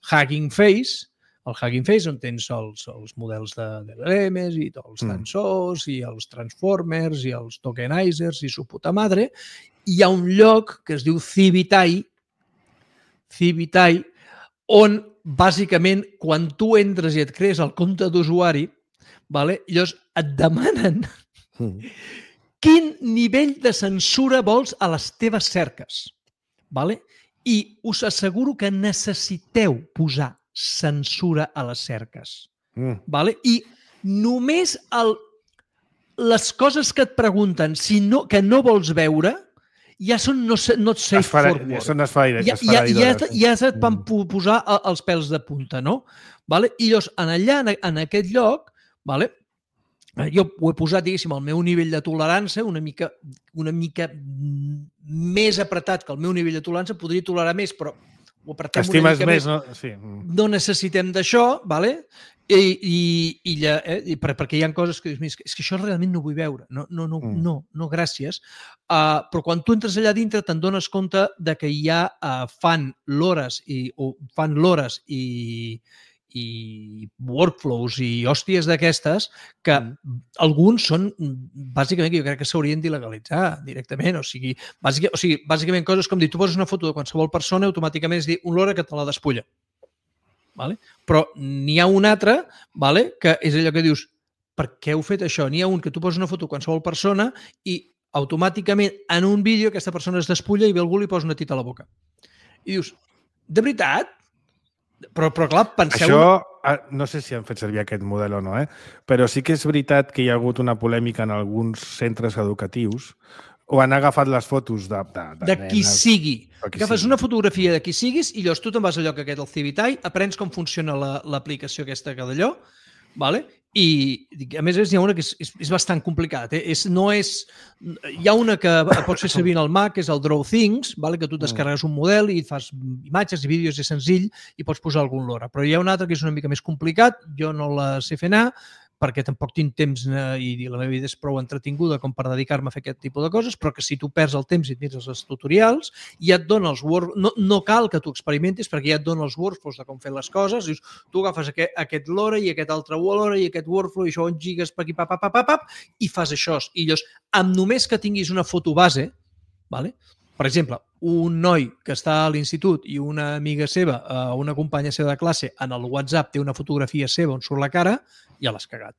Hugging Face, el Hugging Face, on tens els, els models de, de L L Ms i els tensors i els transformers i els tokenizers i su puta madre, hi ha un lloc que es diu Civitai, Civitai, on bàsicament quan tu entres i et crees el compte d'usuari, vale, llavors et demanen mm. quin nivell de censura vols a les teves cerques. Vale? I us asseguro que necessiteu posar censura a les cerques. Mm. Vale? I només el, les coses que et pregunten si no, que no vols veure ja són no, not safe for work. Ja són esfaïdes. Ja, ja, ja, ja et van posar els pèls de punta, no? Vale? I llavors, en allà, en aquest lloc, vale? Jo ho he posat, diguéssim, al meu nivell de tolerància, una mica, una mica més apretat que el meu nivell de tolerància, podria tolerar més, però ho apretem Estimes una mica més, més. No? Sí. No necessitem d'això, vale? I, i, i, ja, eh? I per, perquè hi ha coses que dius, és que això realment no vull veure, no, no, no, mm. no, no gràcies. Uh, però quan tu entres allà dintre te'n dones compte de que hi ha uh, fan lores i, o fan lores i, i workflows i hòsties d'aquestes que mm. alguns són, bàsicament, que jo crec que s'haurien d'il·legalitzar directament. O sigui, bàsic, o sigui, bàsicament coses com dir, tu poses una foto de qualsevol persona i automàticament és dir un lore que te la despulla. Vale? Però n'hi ha un altre, vale? Que és allò que dius, per què heu fet això? N'hi ha un que tu poses una foto de qualsevol persona i automàticament en un vídeo aquesta persona es despulla i ve algú li posa una tita a la boca. I dius, de veritat? Però, però clar, penseu... Això, no sé si han fet servir aquest model o no, eh? Però sí que és veritat que hi ha hagut una polèmica en alguns centres educatius o han agafat les fotos de... De, de, de qui nenes, sigui. Qui Agafes sigui. una fotografia de qui siguis i llavors tu te'n vas al lloc aquest, al Civitai, aprens com funciona l'aplicació la, aquesta que d'allò, vale? I a més hi ha una que és, és, és bastant complicat. Eh? És, no és, hi ha una que pots fer servir al Mac, que és el Draw Things, vale? Que tu descarregues un model i fas imatges i vídeos, és senzill, i pots posar algun lore. Però hi ha un altre que és una mica més complicat, jo no la sé fer anar, perquè tampoc tinc temps i la meva vida és prou entretinguda com per dedicar-me a fer aquest tipus de coses, però que si tu perds el temps i et mires els tutorials, ja et dona els work... no, no cal que tu experimentis perquè ja et dona els workflows de com fer les coses, dius, tu agafes aquest, aquest lore i aquest altre lore i aquest workflow i això on gigues per aquí, pap, pap, pap, pap, i fas això. I llavors, amb només que tinguis una foto base, vale? Per exemple, un noi que està a l'institut i una amiga seva, una companya seva de classe, en el WhatsApp té una fotografia seva on surt la cara, ja l'has cagat.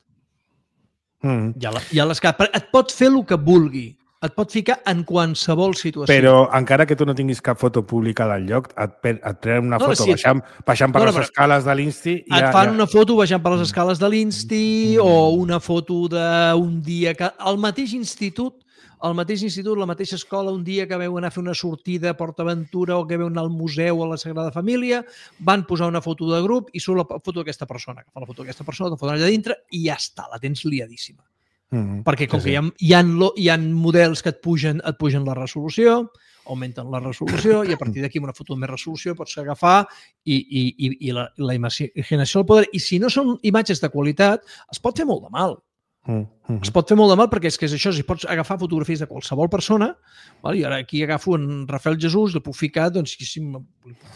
Mm. Ja l'has cagat. Et pot fer el que vulgui. Et pot ficar en qualsevol situació. Però encara que tu no tinguis cap foto pública del lloc, et, et treuen una no, foto si baixant, baixant per no, les escales de l'Insti... Et ja, fan ja... una foto baixant per les escales de l'Insti mm. o una foto d'un dia que... Al mateix institut, al mateix institut, la mateixa escola, un dia que veu anar a fer una sortida a PortAventura o que veu anar al museu a la Sagrada Família, van posar una foto de grup i surt la foto d'aquesta persona. Que fa la foto d'aquesta persona, te foten allà dintre i ja està, la tens liadíssima. Mm, perquè com sí, que hi ha, hi, ha, lo- hi ha models que et pugen, et pugen la resolució, augmenten la resolució i a partir d'aquí amb una foto de més resolució pots agafar i, i, i, i la, la imaginació del poder. I si no són imatges de qualitat, es pot fer molt de mal. Mm, mm. Es pot fer molt de mal perquè és que és això, si pots agafar fotografies de qualsevol persona, val? I ara aquí agafo en Rafael Jesús, li puc ficar, doncs, si em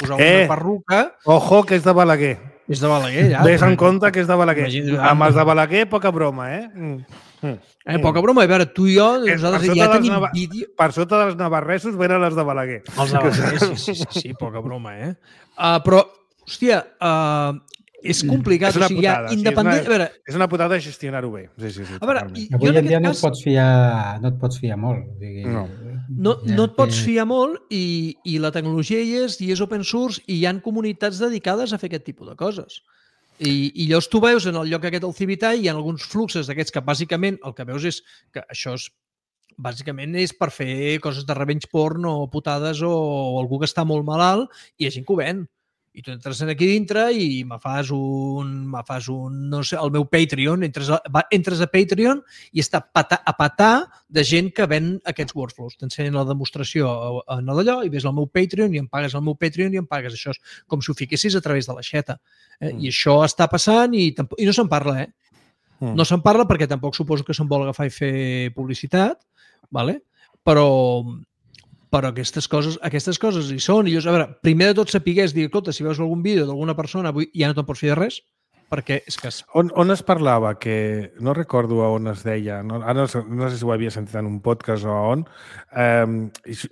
posar una Eh! perruca, Ojo, que és de Balaguer. és de Balaguer, ja. Ves en compte que és de Balaguer. Imagina't- Amb els de Balaguer, poca broma, eh? Mm. Mm. Eh, poca broma, a veure, tu i jo, Eh, nosaltres per ja sota dels tenim nava- vídeo... Per sota dels navarresos venen les de Balaguer. Els de Balaguer, sí, sí, sí, sí, poca broma, eh? Uh, però, hòstia, uh, és complicat. És una o sigui, ja, putada, sí, és independent... una- A veure, És una putada gestionar-ho bé. Sí, sí, sí, a veure, totalment. i- jo Avui en en dia aquest no cas... et pots fiar, no et pots fiar molt. O sigui, No. No, ja no et pots que- fiar molt i, i la tecnologia hi és, i és open source, i hi han comunitats dedicades a fer aquest tipus de coses. I, i llavors tu veus en el lloc aquest del Civitai hi ha alguns fluxes d'aquests que bàsicament el que veus és que això és bàsicament és per fer coses de revenge porn o putades o, o algú que està molt malalt i hi ha gent que ho ven. I tu entres aquí dintre i me fas un, me fas un, no sé, el meu Patreon, entres a, va, entres a Patreon i està pata, a patar de gent que ven aquests workflows. T'ensenyen la demostració en d'allò i ves el meu Patreon i em pagues el meu Patreon i em pagues això. És com si ho fiquessis a través de l'aixeta. Eh? Mm. I això està passant i, tampoc, i no se'n parla, eh? Mm. No se'n parla perquè tampoc suposo que se'n vol agafar i fer publicitat, vale? però, però aquestes coses, aquestes coses hi són. I llavors, a veure, primer de tot sapigués dir, escolta, si veus algun vídeo d'alguna persona, avui ja no te'n pots fer de res, perquè és que... Es... On, on es parlava que, no recordo a on es deia, no, ara no, sé- no sé si ho havia sentit en un podcast o a on, eh,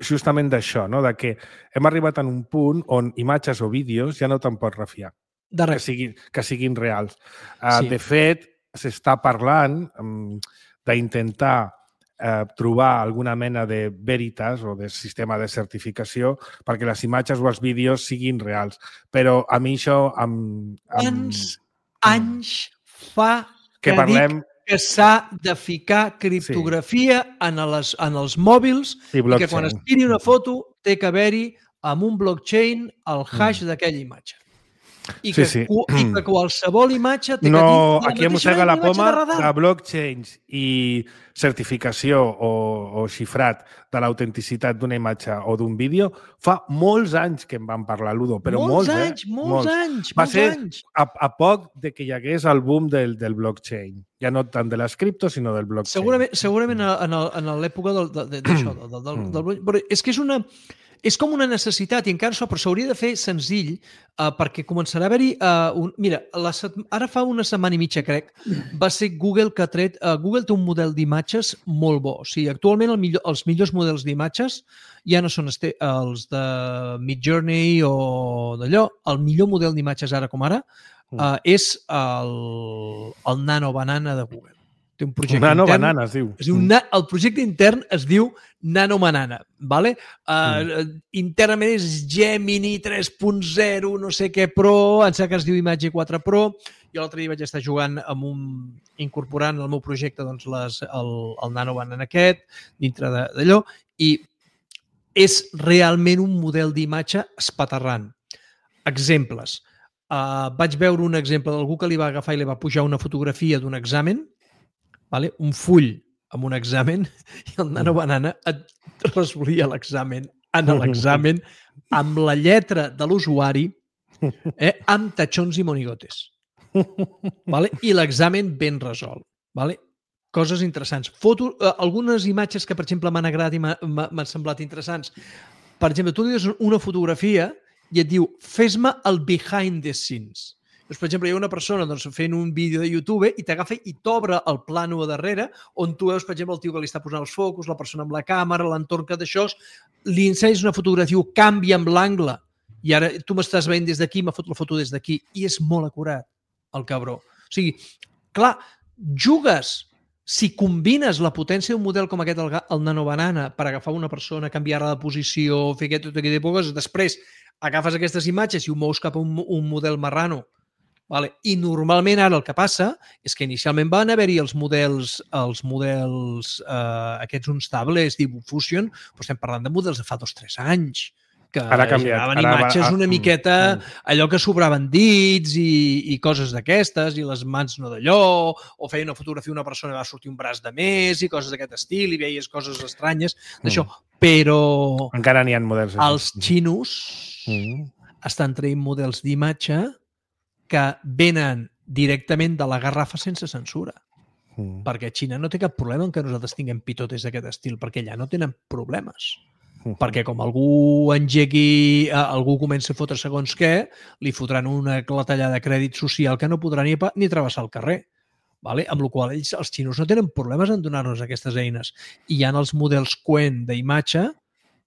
justament d'això, no? De que hem arribat en un punt on imatges o vídeos ja no te'n pots refiar, De que res. siguin, que siguin reals. Uh, Sí. De fet, s'està parlant um, d'intentar eh, trobar alguna mena de veritas o de sistema de certificació perquè les imatges o els vídeos siguin reals. Però a mi això... Amb, amb, Quants anys fa que que, parlem dic que s'ha de ficar criptografia sí. en, les, en els mòbils i i que quan es blockchain. tiri una foto té que haver-hi amb un blockchain el hash mm. d'aquella imatge. I que, Sí, sí. i que qualsevol imatge té No, que dir aquí em mossega la poma de, radar. de blockchains i certificació o, o xifrat de l'autenticitat d'una imatge o d'un vídeo fa molts anys que en van parlar, Ludo, però molts, molts anys, eh? molts anys, Va molts ser anys. a, a poc de que hi hagués el boom del, del blockchain. Ja no tant de les criptos, sinó del blockchain. Segurament, segurament en, el, en l'època del, de, de, d'això, del, del, del, del, però és que és una... És com una necessitat i encara això, però s'hauria de fer senzill uh, perquè començarà a haver-hi... Uh, un... Mira, la set... ara fa una setmana i mitja, crec, va ser Google que ha tret... Uh, Google té un model d'imatges molt bo. O sigui, actualment el millor, els millors models d'imatges ja no són este, els de Midjourney o d'allò. El millor model d'imatges ara com ara uh, és el, el Nano Banana de Google. Té un projecte Nano intern. Banana, es diu. Es diu na, el projecte intern es diu Nano Banana, ¿vale? Uh, mm. Internament és Gemini tres punt zero, no sé què Pro, em sembla que es diu Imatge quatre Pro. Jo l'altre dia vaig estar jugant amb un... incorporant al meu projecte doncs, les, el, el Nano Banana aquest, dintre d'allò, i és realment un model d'imatge espaterrant. Exemples. Uh, vaig veure un exemple d'algú que li va agafar i li va pujar una fotografia d'un examen, vale? Un full amb un examen i el Nano Banana et resolia l'examen en l'examen amb la lletra de l'usuari eh, amb tatxons i monigotes. Vale? I l'examen ben resolt. Vale? Coses interessants. Foto, eh, algunes imatges que, per exemple, m'han agradat i m'han semblat interessants. Per exemple, tu li dius una fotografia i et diu fes-me el behind the scenes. Doncs, per exemple, hi ha una persona doncs, fent un vídeo de YouTube i t'agafa i t'obre el plano a darrere on tu veus, per exemple, el tio que li està posant els focus, la persona amb la càmera, l'entorn que d'això, li ensenyes una fotografia, canvia amb l'angle i ara tu m'estàs veient des d'aquí, m'ha fot la foto des d'aquí i és molt acurat, el cabró. O sigui, clar, jugues, si combines la potència d'un model com aquest, el, el Nano Banana, per agafar una persona, canviar-la de posició, fer aquest, tot aquest tipus de coses, després agafes aquestes imatges i ho mous cap a un, un model marrano. Vale. I normalment ara el que passa és que inicialment van haver-hi els models, els models eh, aquests unstable, és dir, Fusion, però estem parlant de models de fa dos o tres anys. que Ara ha canviat. generaven Ara va- imatges ah, una mm, miqueta, allò que sobraven dits i, i coses d'aquestes, i les mans no d'allò, o feia una fotografia una persona i va sortir un braç de més, i coses d'aquest estil, i veies coses estranyes d'això. Però Encara n'hi ha models així. els xinos Mm. estan traient models d'imatge que venen directament de la garrafa sense censura. Mm. Perquè Xina no té cap problema en que nosaltres tinguem pitotes d'aquest estil, perquè allà no tenen problemes. Perquè com algú engegui, eh, algú comença a fotre segons què, li fotran una clatellada de crèdit social que no podrà ni, pa- ni travessar el carrer. Vale? Amb la qual ells, els xinos, no tenen problemes en donar-nos aquestes eines. I hi ha els models Qwen d'imatge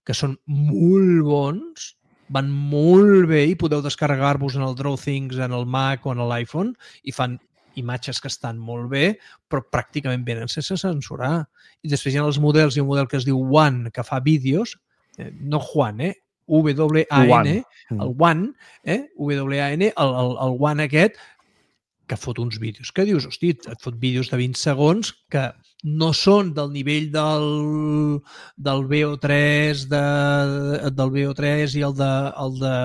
que són molt bons, van molt bé i podeu descarregar-vos en el DrawThings, en el Mac o en l'iPhone i fan imatges que estan molt bé, però pràcticament venen sense censurar. I després hi ha els models, hi ha un model que es diu One, que fa vídeos, eh, no Juan, eh? W A N, el One, eh? W A N, el, el, el One aquest, que fot uns vídeos. Que dius, hosti, et fot vídeos de vint segons que no són del nivell del, del V O tres, de, del V O tres i el de, el de,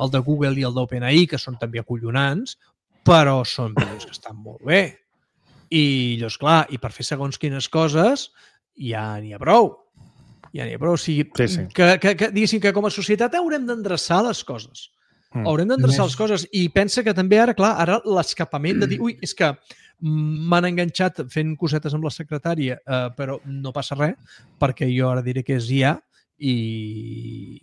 el de Google i el d'OpenAI, que són també acollonants, però són vídeos que estan molt bé. I llavors, clar, i per fer segons quines coses ja n'hi ha prou. Ja n'hi ha prou. O sigui, Sí, sí. Que, que, que, diguéssim que com a societat haurem d'endreçar les coses. Mm. Haurem d'endreçar Més- les coses. I pensa que també ara, clar, ara l'escapament de dir, ui, és que m'han enganxat fent cosetes amb la secretària, eh, però no passa res, perquè jo ara diré que és I A i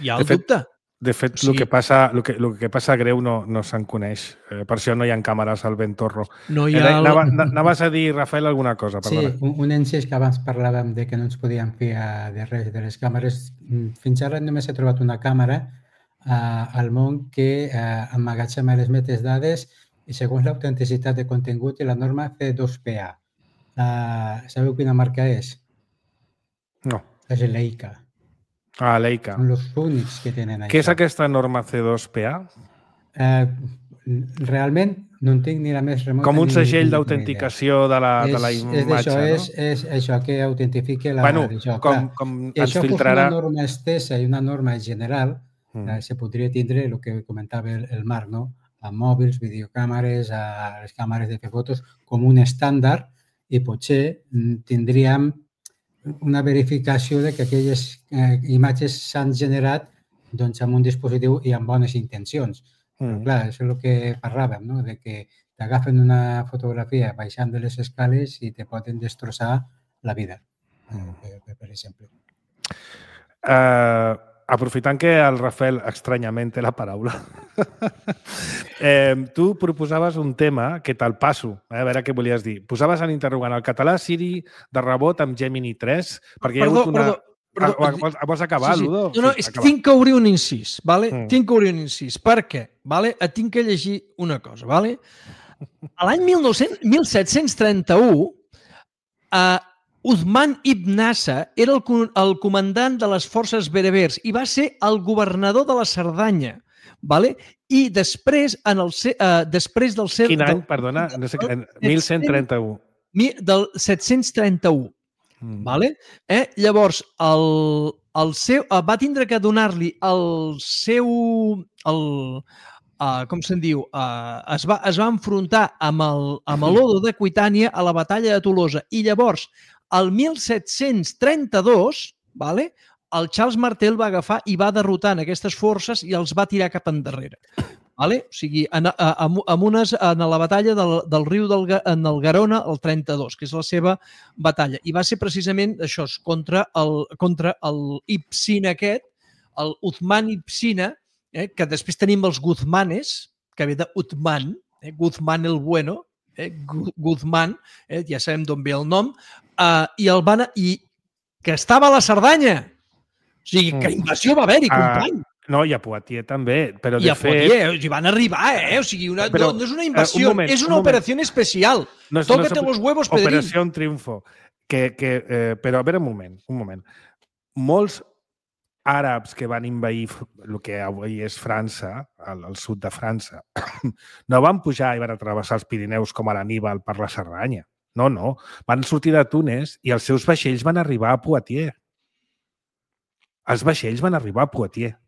hi ha el De fet, dubte. De fet, O sigui- el que passa, el que, el que passa greu no, no se'n coneix. Eh, per això no hi ha càmeres al Ventorro. No hi Eh, ha... el- anava- Anaves a dir, Rafael, alguna cosa, Sí, perdona. un, un encís que abans parlàvem de que no ens podíem fiar de res de les càmeres. Mm, Fins ara només he trobat una càmera eh, al món que eh, emmagatzema les metadades i segons l'autenticitat de contingut i la norma C dos P A. Uh, sabeu quina marca és? No. És Leica. Ah, Leica. Són els únics que tenen això. Què és aquesta norma C dos P A? Eh, realment no en tinc ni la més remota Com un ni- segell ni- ni d'autenticació de, la, idea. de la És, és imatge, d'això, no? és, és això que autentifique la... Bueno, d'això. com, Clar, com si ens això fos filtrarà... una norma estesa i una norma general, Mm. eh, se podria tindre el que comentava el, el Marc, no? A mòbils, videocàmeres, a les càmeres de fer fotos, com un estàndard i potser mm, tindríem una verificació de que aquelles eh, imatges s'han generat doncs, amb un dispositiu i amb bones intencions. Però Mm. clar, això és el que parlàvem, no? De que t'agafen una fotografia baixant de les escales i te poden destrossar la vida, Mm. per, per, per exemple. Uh, aprofitant que el Rafael estranyament té la paraula, eh, tu proposaves un tema que te'l passo, eh, a veure què volies dir. Posaves en interrogant el català Siri de rebot amb Gemini tres, perquè hi ha Perdó, hagut una... perdó, perdó. Ah, vols, vols acabar, Sí, sí. Ludo? No, no, Sí, és que acaba. tinc que obrir un incís, vale? Mm. Tinc que obrir un incís. Per què? Vale? Et tinc que llegir una cosa, vale? A l'any mil set-cents trenta-u, uh, Uthman ibn Nasa era el, co- el comandant de les forces berebers i va ser el governador de la Cerdanya, vale? I després, en el, se- uh, després del seu... Quin any, del- perdona? No sé, en del- mil cent trenta-u. mi- del set-cents trenta-u. Mm. Vale? Eh? Llavors, el, el seu, eh, va tindre que donar-li el seu... El, uh, com se'n diu? Uh, es, va, es va enfrontar amb el- amb l'Odo de Aquitània a la batalla de Tolosa. I llavors, el mil set-cents trenta-dos, vale? El Charles Martel va agafar i va derrotar en aquestes forces i els va tirar cap endarrere. Vale? O sigui, en, en, en, unes, en la batalla del, del riu del, Ga- en el Garona, el trenta-dos, que és la seva batalla. I va ser precisament això, és contra el, contra el Ibsina aquest, el Uthman Ibsina, eh, que després tenim els Guzmanes, que ve de Uthman, eh, Guzman el Bueno, eh, Gu- Guzman, eh, ja sabem d'on ve el nom, eh, i el van... I que estava a la Cerdanya. O sigui, que invasió va haver-hi, Ah, company. no, i a Poitiers també, però I de a fet... Poitiers, hi van arribar, eh? O sigui, una, Però, no, no és una eh, invasió, un moment, és un una moment. operació especial. No és- Tócate no és los huevos, Pedrín. Operació Triunfo. Que, que, eh, però a veure, un moment, un moment. Molts àrabs que van invair el que avui és França, al, al sud de França, no van pujar i van travessar els Pirineus com a l'Aníbal per la Cerdanya. No, no. Van sortir de Túnez i els seus vaixells van arribar a Poitiers. els vaixells van arribar a Poitiers.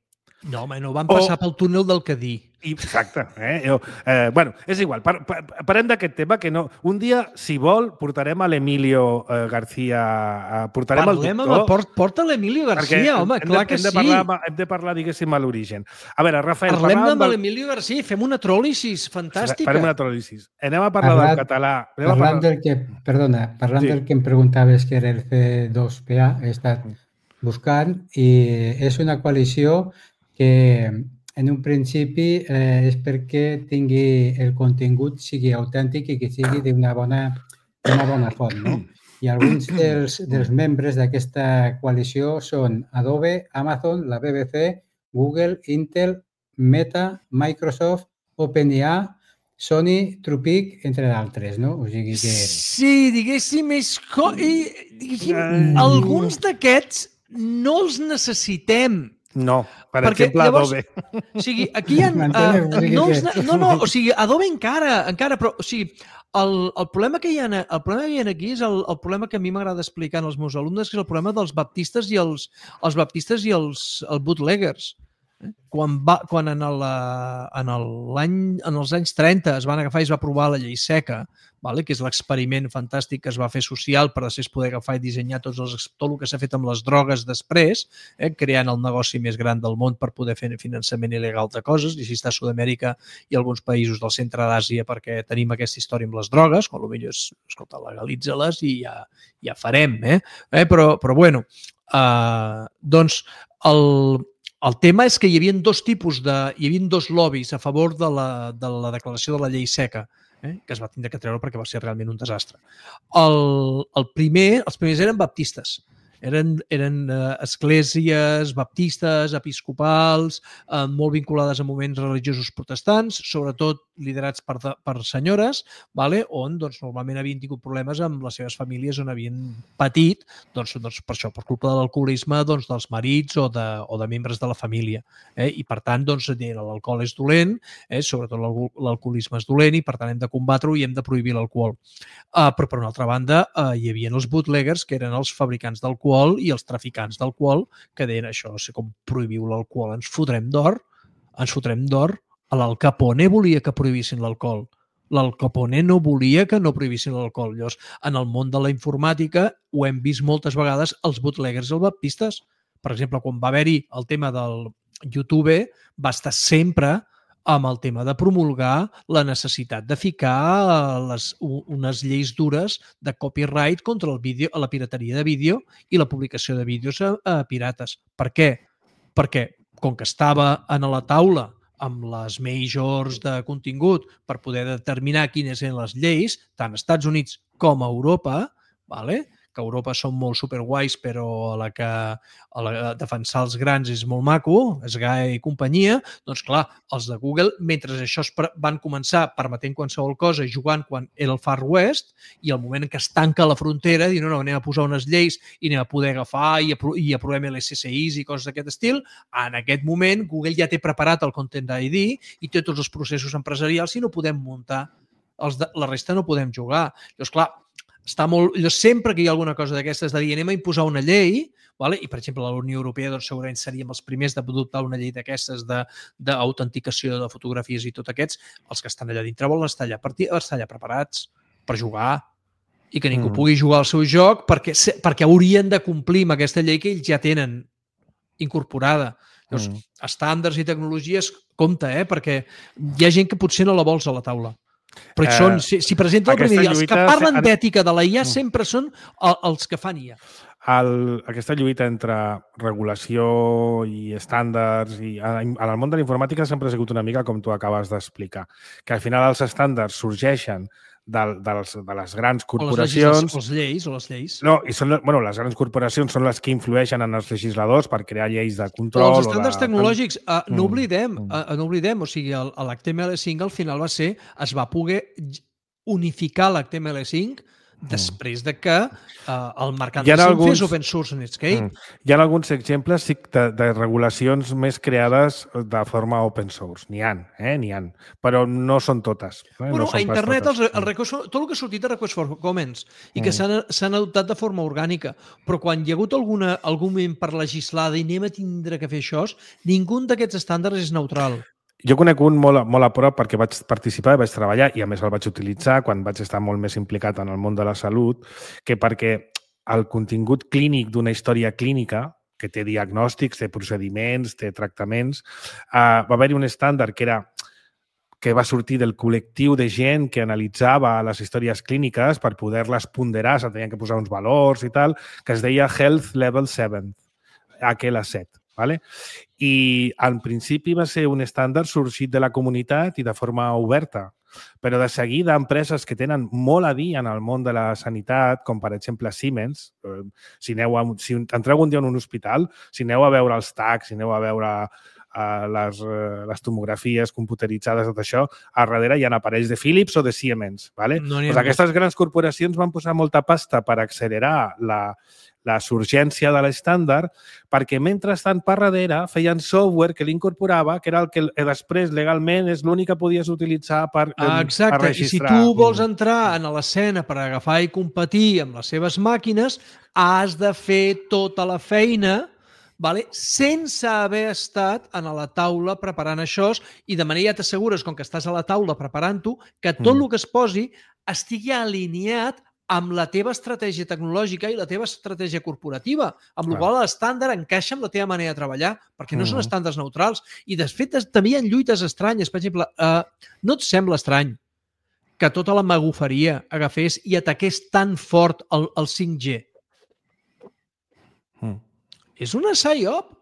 No, home, no van passar O- pel túnel del Cadí. I, exacte. Eh? Jo, eh, bueno, és igual. Par, par, parem d'aquest tema que no... Un dia, si vol, portarem a l'Emilio eh, García... Eh, portarem Parlem el amb doctor... el, port, porta l'Emilio García, home, hem clar de, que hem de sí. parlar, hem de parlar, diguéssim, a l'origen. A veure, Rafael... Parlem parlàvem amb del- l'Emilio García i fem una tròlisis fantàstica. Farem una tròlisis. Anem a parlar Parlant- del català. Anem a Parlant parlar... del que, perdona, parlant Sí. del que em preguntaves que era el C dos P A, he estat buscant i és una coalició que en un principi eh, és perquè tingui el contingut sigui autèntic i que sigui d'una bona, d'una bona font, no? I alguns dels, dels membres d'aquesta coalició són Adobe, Amazon, la B B C, Google, Intel, Meta, Microsoft, OpenAI, Sony, Trupic, entre d'altres, no? O sigui que... Sí, diguéssim, és... Co... i, diguéssim, Ai. alguns d'aquests no els necessitem. No, per Perquè exemple, llavors- Adobe. O sigui, aquí hi ha... M'entenes? Uh, O sigui no, que- els ne- no, no, o sigui, Adobe encara, encara, però, o sigui, el, el, problema que hi ha, el problema que hi ha aquí és el, el problema que a mi m'agrada explicar als meus alumnes, que és el problema dels baptistes i els, els baptistes i els, els bootleggers. Eh? Quan, va, quan en, el, en, el, l'any, en els anys trenta es van agafar i es va aprovar la llei seca, vale? Que és l'experiment fantàstic que es va fer social per després poder agafar i dissenyar tots els, tot el que s'ha fet amb les drogues després, eh? Creant el negoci més gran del món per poder fer finançament il·legal de coses, i així està Sud-amèrica i alguns països del centre d'Àsia perquè tenim aquesta història amb les drogues, quan potser és, escolta, legalitza-les i ja, ja farem, eh? eh? Però, però bueno, eh, doncs el, el tema és que hi havia dos tipus de... hi havia dos lobbies a favor de la, de la declaració de la llei seca, eh? Que es va tindre que treure perquè va ser realment un desastre. El, el primer, els primers eren baptistes. Eren, eren eh, esglésies baptistes, episcopals, eh, molt vinculades a moviments religiosos protestants, sobretot liderats per, de, per senyores, vale? On doncs, normalment havien tingut problemes amb les seves famílies on havien patit doncs, doncs, per això, per culpa de l'alcoholisme doncs, dels marits o de, o de membres de la família. Eh? I per tant, doncs, l'alcohol és dolent, eh? Sobretot l'alcoholisme és dolent i per tant hem de combatre-ho i hem de prohibir l'alcohol. Uh, però per una altra banda uh, hi havia els bootleggers, que eren els fabricants d'alcohol i els traficants d'alcohol, que deien això, no sé com prohibiu l'alcohol, ens fotrem d'or, ens fotrem d'or. L'Al Capone volia que prohibissin l'alcohol. L'Al Capone no volia que no prohibissin l'alcohol. Llavors, en el món de la informàtica ho hem vist moltes vegades els bootleggers i els baptistes. Per exemple, quan va haver-hi el tema del YouTube, va estar sempre amb el tema de promulgar la necessitat de ficar les, unes lleis dures de copyright contra el vídeo, la pirateria de vídeo i la publicació de vídeos a, a pirates. Per què? Perquè, com que estava en la taula amb les majors de contingut per poder determinar quines eren les lleis, tant als Estats Units com a Europa, vale? Que a Europa són molt superguais, però a la que a la, defensar els grans és molt maco, és Sky i companyia, doncs clar, els de Google, mentre això es van començar permetent qualsevol cosa i jugant quan era el Far West, i al moment que es tanca la frontera, diuen, no, no, anem a posar unes lleis i anem a poder agafar i, apro i aprovem L S S Is i coses d'aquest estil, en aquest moment Google ja té preparat el Content I D i té tots els processos empresarials i no podem muntar, els de, la resta no podem jugar. Llavors, clar, està molt... sempre que hi ha alguna cosa d'aquestes de dir anem a imposar una llei, vale? I per exemple la Unió Europea doncs, segurament seríem els primers d'adoptar una llei d'aquestes d'autenticació de, de fotografies i tot aquests, els que estan allà dintre volen estar allà, estar allà preparats per jugar i que ningú mm. pugui jugar al seu joc perquè, perquè haurien de complir amb aquesta llei que ells ja tenen incorporada. Llavors, mm. estàndards i tecnologies, compte, eh? Perquè hi ha gent que potser no la vols a la taula. Però eh, són, si, si presenta el primer dia, els que parlen se... d'ètica de la I A sempre són els que fan I A. El, aquesta lluita entre regulació i estàndards i en el món de la informàtica sempre ha sigut una mica com tu acabes d'explicar, que al final els estàndards sorgeixen de, de, les, de les grans corporacions... O les lleis, o les lleis. No, i són, bueno, les grans corporacions són les que influeixen en els legisladors per crear lleis de control... O els estàndards o de... tecnològics, uh, no oblidem, uh, no oblidem, o sigui, l'H T M L cinc al final va ser, es va poder unificar l'H T M L cinc després de que uh, el mercat Hi ha de Sim alguns- fes open source Netscape. Mm. Hi ha alguns exemples sí, de, de regulacions més creades de forma open source. N'hi ha, eh? N'hi ha. Però no són totes. Eh? Bueno, no són a pas internet totes. el, el request, tot el que ha sortit de Request for Comments i que Mm. s'han s'han adoptat de forma orgànica, però quan hi ha hagut alguna, algun moment per legislar i anem a tindre que fer això, ningú d'aquests estàndards és neutral. Jo conec un molt, molt a prop perquè vaig participar i vaig treballar i a més el vaig utilitzar quan vaig estar molt més implicat en el món de la salut, que perquè el contingut clínic d'una història clínica, que té diagnòstics, té procediments, té tractaments, eh, va haver-hi un estàndard que era que va sortir del col·lectiu de gent que analitzava les històries clíniques per poder-les ponderar, se tenien que posar uns valors i tal, que es deia Health Level set, H L set. Vale? I en principi va ser un estàndard sorgit de la comunitat i de forma oberta, però de seguida empreses que tenen molt a dir en el món de la sanitat, com per exemple Siemens, eh, si, aneu a, si entreu un dia en un hospital, si aneu a veure els tags, si aneu a veure eh, les, eh, les tomografies computeritzades, tot això, a darrere hi ha aparells de Philips o de Siemens. Vale? No n'hi ha Pues més. aquestes grans corporacions van posar molta pasta per accelerar la, la surgència de l'estàndard, perquè mentrestant per darrere feien software que l'incorporava, que era el que després legalment és l'únic que podies utilitzar per, Ah, per exacte, i si registrar. tu vols entrar en l'escena per agafar i competir amb les seves màquines, has de fer tota la feina, vale? Sense haver estat a la taula preparant això, i de manera ja t'assegures, com que estàs a la taula preparant-ho, que tot Mm. el que es posi estigui alineat amb la teva estratègia tecnològica i la teva estratègia corporativa, amb la Clar. qual l'estàndard encaixa amb la teva manera de treballar, perquè no són Mhm. estàndards neutrals. I, de fet, es- també hi ha lluites estranyes. Per exemple, eh, no et sembla estrany que tota la magoferia agafés i ataqués tan fort el, el cinc G? Mm. És una psyop.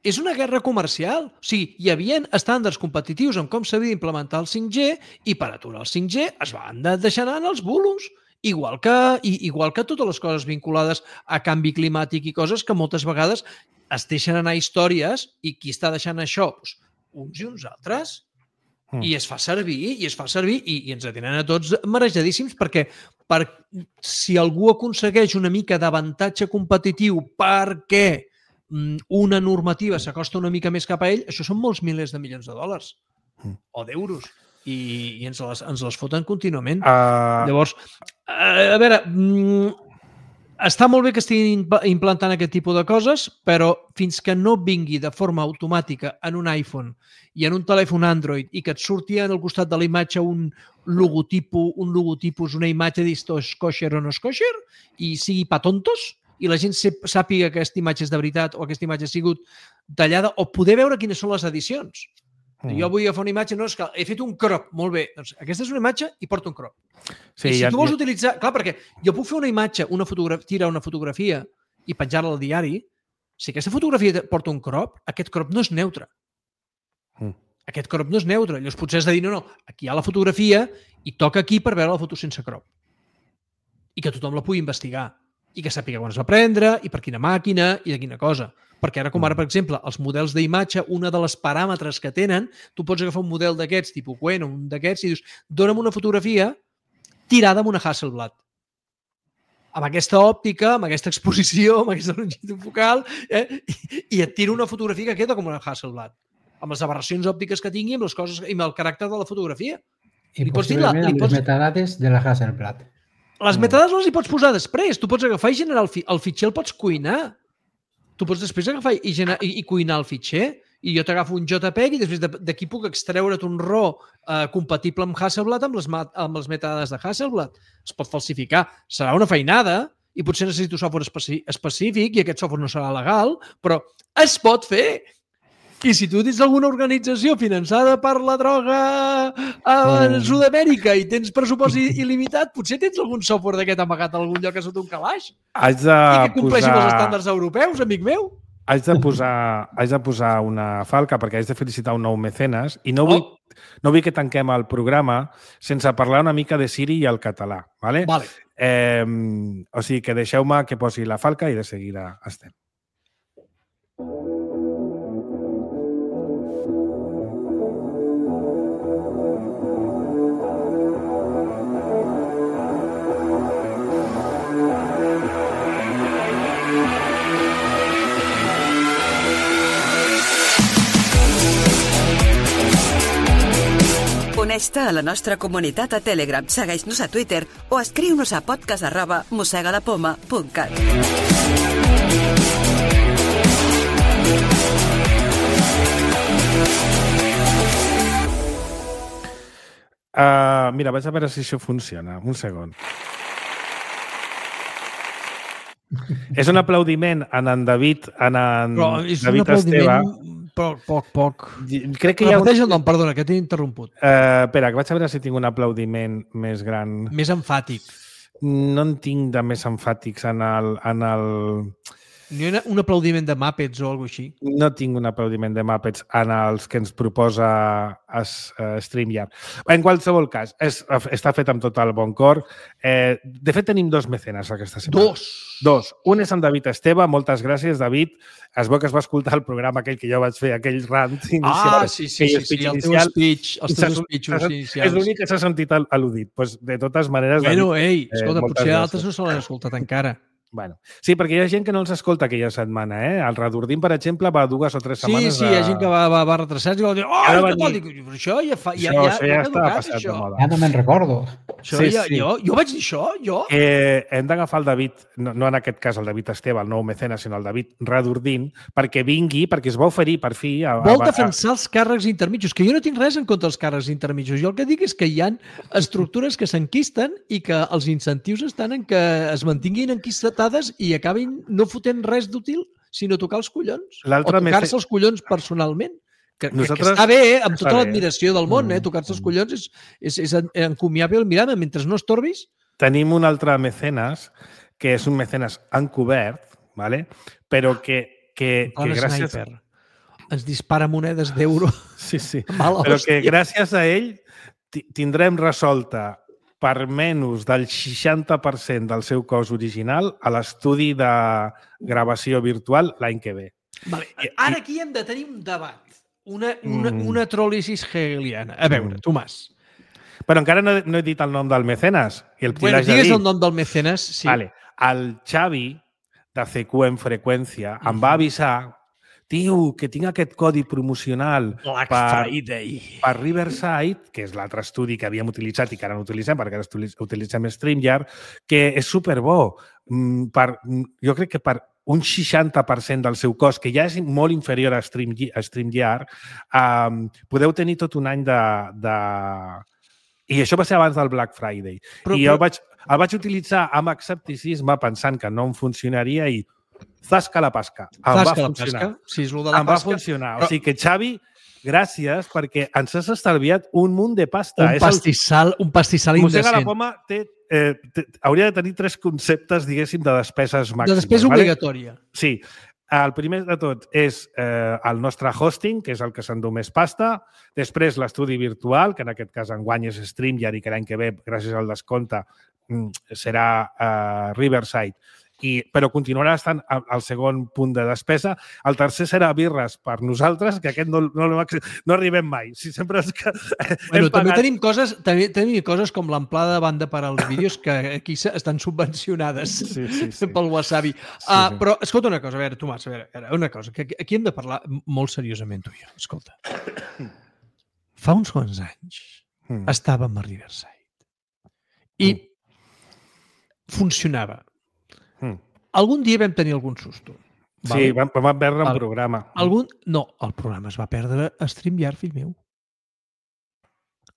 És una guerra comercial. O sigui, hi havia estàndards competitius en com s'havia d'implementar el cinc G i per aturar el cinc G es van de- deixar anar els bulos. Igual que, i, igual que totes les coses vinculades a canvi climàtic i coses que moltes vegades es deixen anar històries i qui està deixant això? Doncs uns i uns altres. Mm. I es fa servir, i es fa servir, i, i ens tenen a tots marejadíssims perquè per, si algú aconsegueix una mica d'avantatge competitiu perquè mm, una normativa s'acosta una mica més cap a ell, això són molts milers de milions de dòlars Mm. o d'euros i, i ens, les, ens les foten contínuament. Uh, Llavors, a, a veure, mm, està molt bé que estiguin imp- implantant aquest tipus de coses, però fins que no vingui de forma automàtica en un iPhone i en un telèfon Android i que et surti al costat de la imatge un logotipo, un logotipus, una imatge d'esto és kosher o no és kosher i sigui pa tontos i la gent sep- sàpiga que aquesta imatge és de veritat o aquesta imatge ha sigut tallada o poder veure quines són les edicions. Mm. Jo vull agafar una imatge, no, és que he fet un crop, molt bé. Doncs aquesta és una imatge i porta un crop. sí, I si ja, tu vols ja, utilitzar... Clar, perquè jo puc fer una imatge, una fotografia, tirar una fotografia i penjar-la al diari. Si aquesta fotografia te- porta un crop, aquest crop no és neutre. Mm. Aquest crop no és neutre. Llavors potser has de dir, no, no, aquí hi ha la fotografia i toca aquí per veure la foto sense crop. I que tothom la pugui investigar. I que sàpiga quan es va prendre i per quina màquina i de quina cosa. Perquè ara, com ara, per exemple, els models d'imatge, una de les paràmetres que tenen, tu pots agafar un model d'aquests, tipus Quen, o un d'aquests, i dius, dona'm una fotografia tirada amb una Hasselblad. Amb aquesta òptica, amb aquesta exposició, amb aquesta longitud focal, eh? I, i et tiro una fotografia que queda com una Hasselblad. Amb les aberracions òptiques que tingui, amb les coses i amb el caràcter de la fotografia. I Li pots dir la- possiblement li amb pots- les metadades de la Hasselblad. Les Mm. metadades les hi pots posar després. Tu pots agafar i generar el, fi el fitxer, el pots cuinar. Tu pots després agafar i, gener i, i cuinar el fitxer. I jo t'agafo un JPEG i després de- d'aquí puc extreure't un RAW eh, compatible amb Hasselblad amb les, ma- amb les metadades de Hasselblad. Es pot falsificar. Serà una feinada i potser necessito software especi específic i aquest software no serà legal, però es pot fer. I si tu tens alguna organització finançada per la droga a Mm. Sud-amèrica i tens pressupost il- il·limitat, potser tens algun software d'aquest amagat a algun lloc a sota un calaix haig de i que compleixi posar... amb els estàndards europeus, amic meu. Haig de, posar, haig de posar una falca perquè haig de felicitar un nou mecenes i no vull, Oh. no vull que tanquem el programa sense parlar una mica de Siri i el català. Vale? Vale. Eh, o sigui que deixeu-me que posi la falca i de seguida estem. Uneix-te a la nostra comunitat a Telegram, segueix-nos a Twitter o escriu-nos a podcast arroba mosegalapoma punt cat. Uh, mira, vaig a veure si això funciona. Un segon. És un aplaudiment en en David, en en Però és David un aplaudiment Esteve. poc, poc, poc. Crec que hi ha... Un... Repeteix el nom, perdona, que t'he interromput. Uh, espera, que vaig a veure si tinc un aplaudiment més gran. Més emfàtic. No en tinc de més emfàtics en el... En el... Ni un, un aplaudiment de Muppets o alguna cosa així. No tinc un aplaudiment de Muppets en els que ens proposa es, uh, StreamYard. En qualsevol cas, és, està fet amb tot el bon cor. Eh, de fet, tenim dos mecenes aquesta setmana. Dos! Dos. Un és en David Esteve. Moltes gràcies, David. Es veu que es va escoltar el programa aquell que jo vaig fer, aquell rant inicial. Ah, sí, sí, sí, sí, el teu speech, els teus speechos inicials. És l'únic que s'ha sentit al·ludit. Pues, de totes maneres... Bueno, David, ei, escolta, eh, potser altres no se l'han escoltat encara. Bueno, sí, perquè hi ha gent que no els escolta aquella setmana, eh? El Redordim, per exemple, va dues o tres setmanes... Sí, sí, hi ha gent que va, va, va retrasar i va dir, oh, Ara va què tal? dir... Dic, però això ja fa... Ja, això, ja, això ja, ja està passat això. de moda. Ja no me'n recordo. Això Sí, ja, sí. Jo, jo vaig dir això, jo? Eh, hem d'agafar el David, no, no en aquest cas el David Esteve, el nou mecenes, sinó el David Redordín, perquè vingui, perquè es va oferir per fi... A, Vol a, a, defensar els càrrecs intermitjos, que jo no tinc res en contra dels càrrecs intermitjos. Jo el que dic és que hi ha estructures que s'enquisten i que els incentius estan en que es mantinguin enquistades i acabin no fotent res d'útil, sinó tocar els collons. O tocar-se els collons personalment. Que, Nosaltres... que està bé, eh? Amb tota l'admiració del món, eh? Tocar-se els collons és, és, és encomiable el mirar, mentre no estorbis. Tenim un altre mecenes, que és un mecenes encobert, ¿vale? Però que, que, que gràcies... Sniper. Ens dispara monedes d'euro. Sí, sí. Mala Però hòstia. que gràcies a ell tindrem resolta per menys del seixanta per cent del seu cost original a l'estudi de gravació virtual l'any que ve. Vale. Ara aquí hem de tenir un debat, una, una, mm. una tròlisis hegeliana. A veure, mm. Tomàs. Però encara no, no he dit el nom del mecenes. I el bueno, digues el nom del mecenes, sí. Vale. El Xavi, de C Q en freqüència, mm. em va avisar, tio, que tinc aquest codi promocional Black per, Friday. per Riverside, que és l'altre estudi que havíem utilitzat i que ara no utilitzem, perquè ara utilitzem StreamYard, que és superbo. Per, jo crec que per un seixanta per cent del seu cost, que ja és molt inferior a, Stream, a StreamYard, um, podeu tenir tot un any de, de... I això va ser abans del Black Friday. Però, I jo però... el, vaig, el vaig utilitzar amb escepticisme pensant que no em funcionaria i zasca la pasca. Em zasca va funcionar. La pasca. Sí, és lo de la em pasca. va funcionar. Però... O sigui que, Xavi, gràcies perquè ens has estalviat un munt de pasta. Un pastissal, el... un pastissal indecent. Mossega la Poma té, eh, té, hauria de tenir tres conceptes, diguéssim, de despeses màximes. De despesa vale? obligatòria. Sí. El primer de tot és eh, el nostre hosting, que és el que s'endú més pasta. Després l'estudi virtual, que en aquest cas enguany és StreamYard i que l'any que ve, gràcies al descompte, serà eh, Riverside. I, però continuarà estant al segon punt de despesa. El tercer serà birres per nosaltres, que aquest no, no, no arribem mai. Si sempre és que bueno, també pagat... tenim coses també tenim coses com l'amplada de banda per als vídeos que aquí estan subvencionades sí, sí, sí. pel wasabi. Sí, uh, sí. Però, escolta una cosa, a veure, Tomàs, a veure, una cosa, que aquí hem de parlar molt seriosament, tu i jo. Escolta, fa uns quants anys mm. estàvem a Riverside i mm. funcionava. Mm. Algun dia vam tenir algun susto. Vale? Sí, vam, vam perdre un programa. Algun... No, el programa es va perdre a StreamYard, fill meu.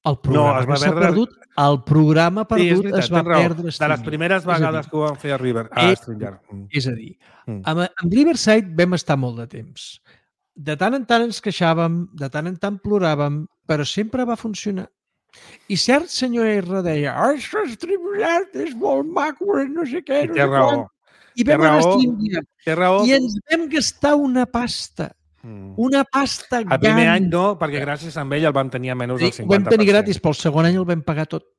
El programa no, s'ha perdre... perdut, el programa perdut sí, veritat, es va perdre a StreamYard. De les primeres vegades que ho vam fer a, River, a és, StreamYard. Mm. És a dir, mm. amb, amb Riverside vam estar molt de temps. De tant en tant ens queixàvem, de tant en tant ploràvem, però sempre va funcionar. I cert senyor R deia, això StreamYard és molt maco, no sé què, no sé raó. I vam anar a StreamYard i ens vam gastar una pasta. Mm. Una pasta gran. El primer any no, perquè gràcies a ell el vam tenir a menys del cinquanta per cent. Ho vam tenir gratis, però el segon any el vam pagar tot.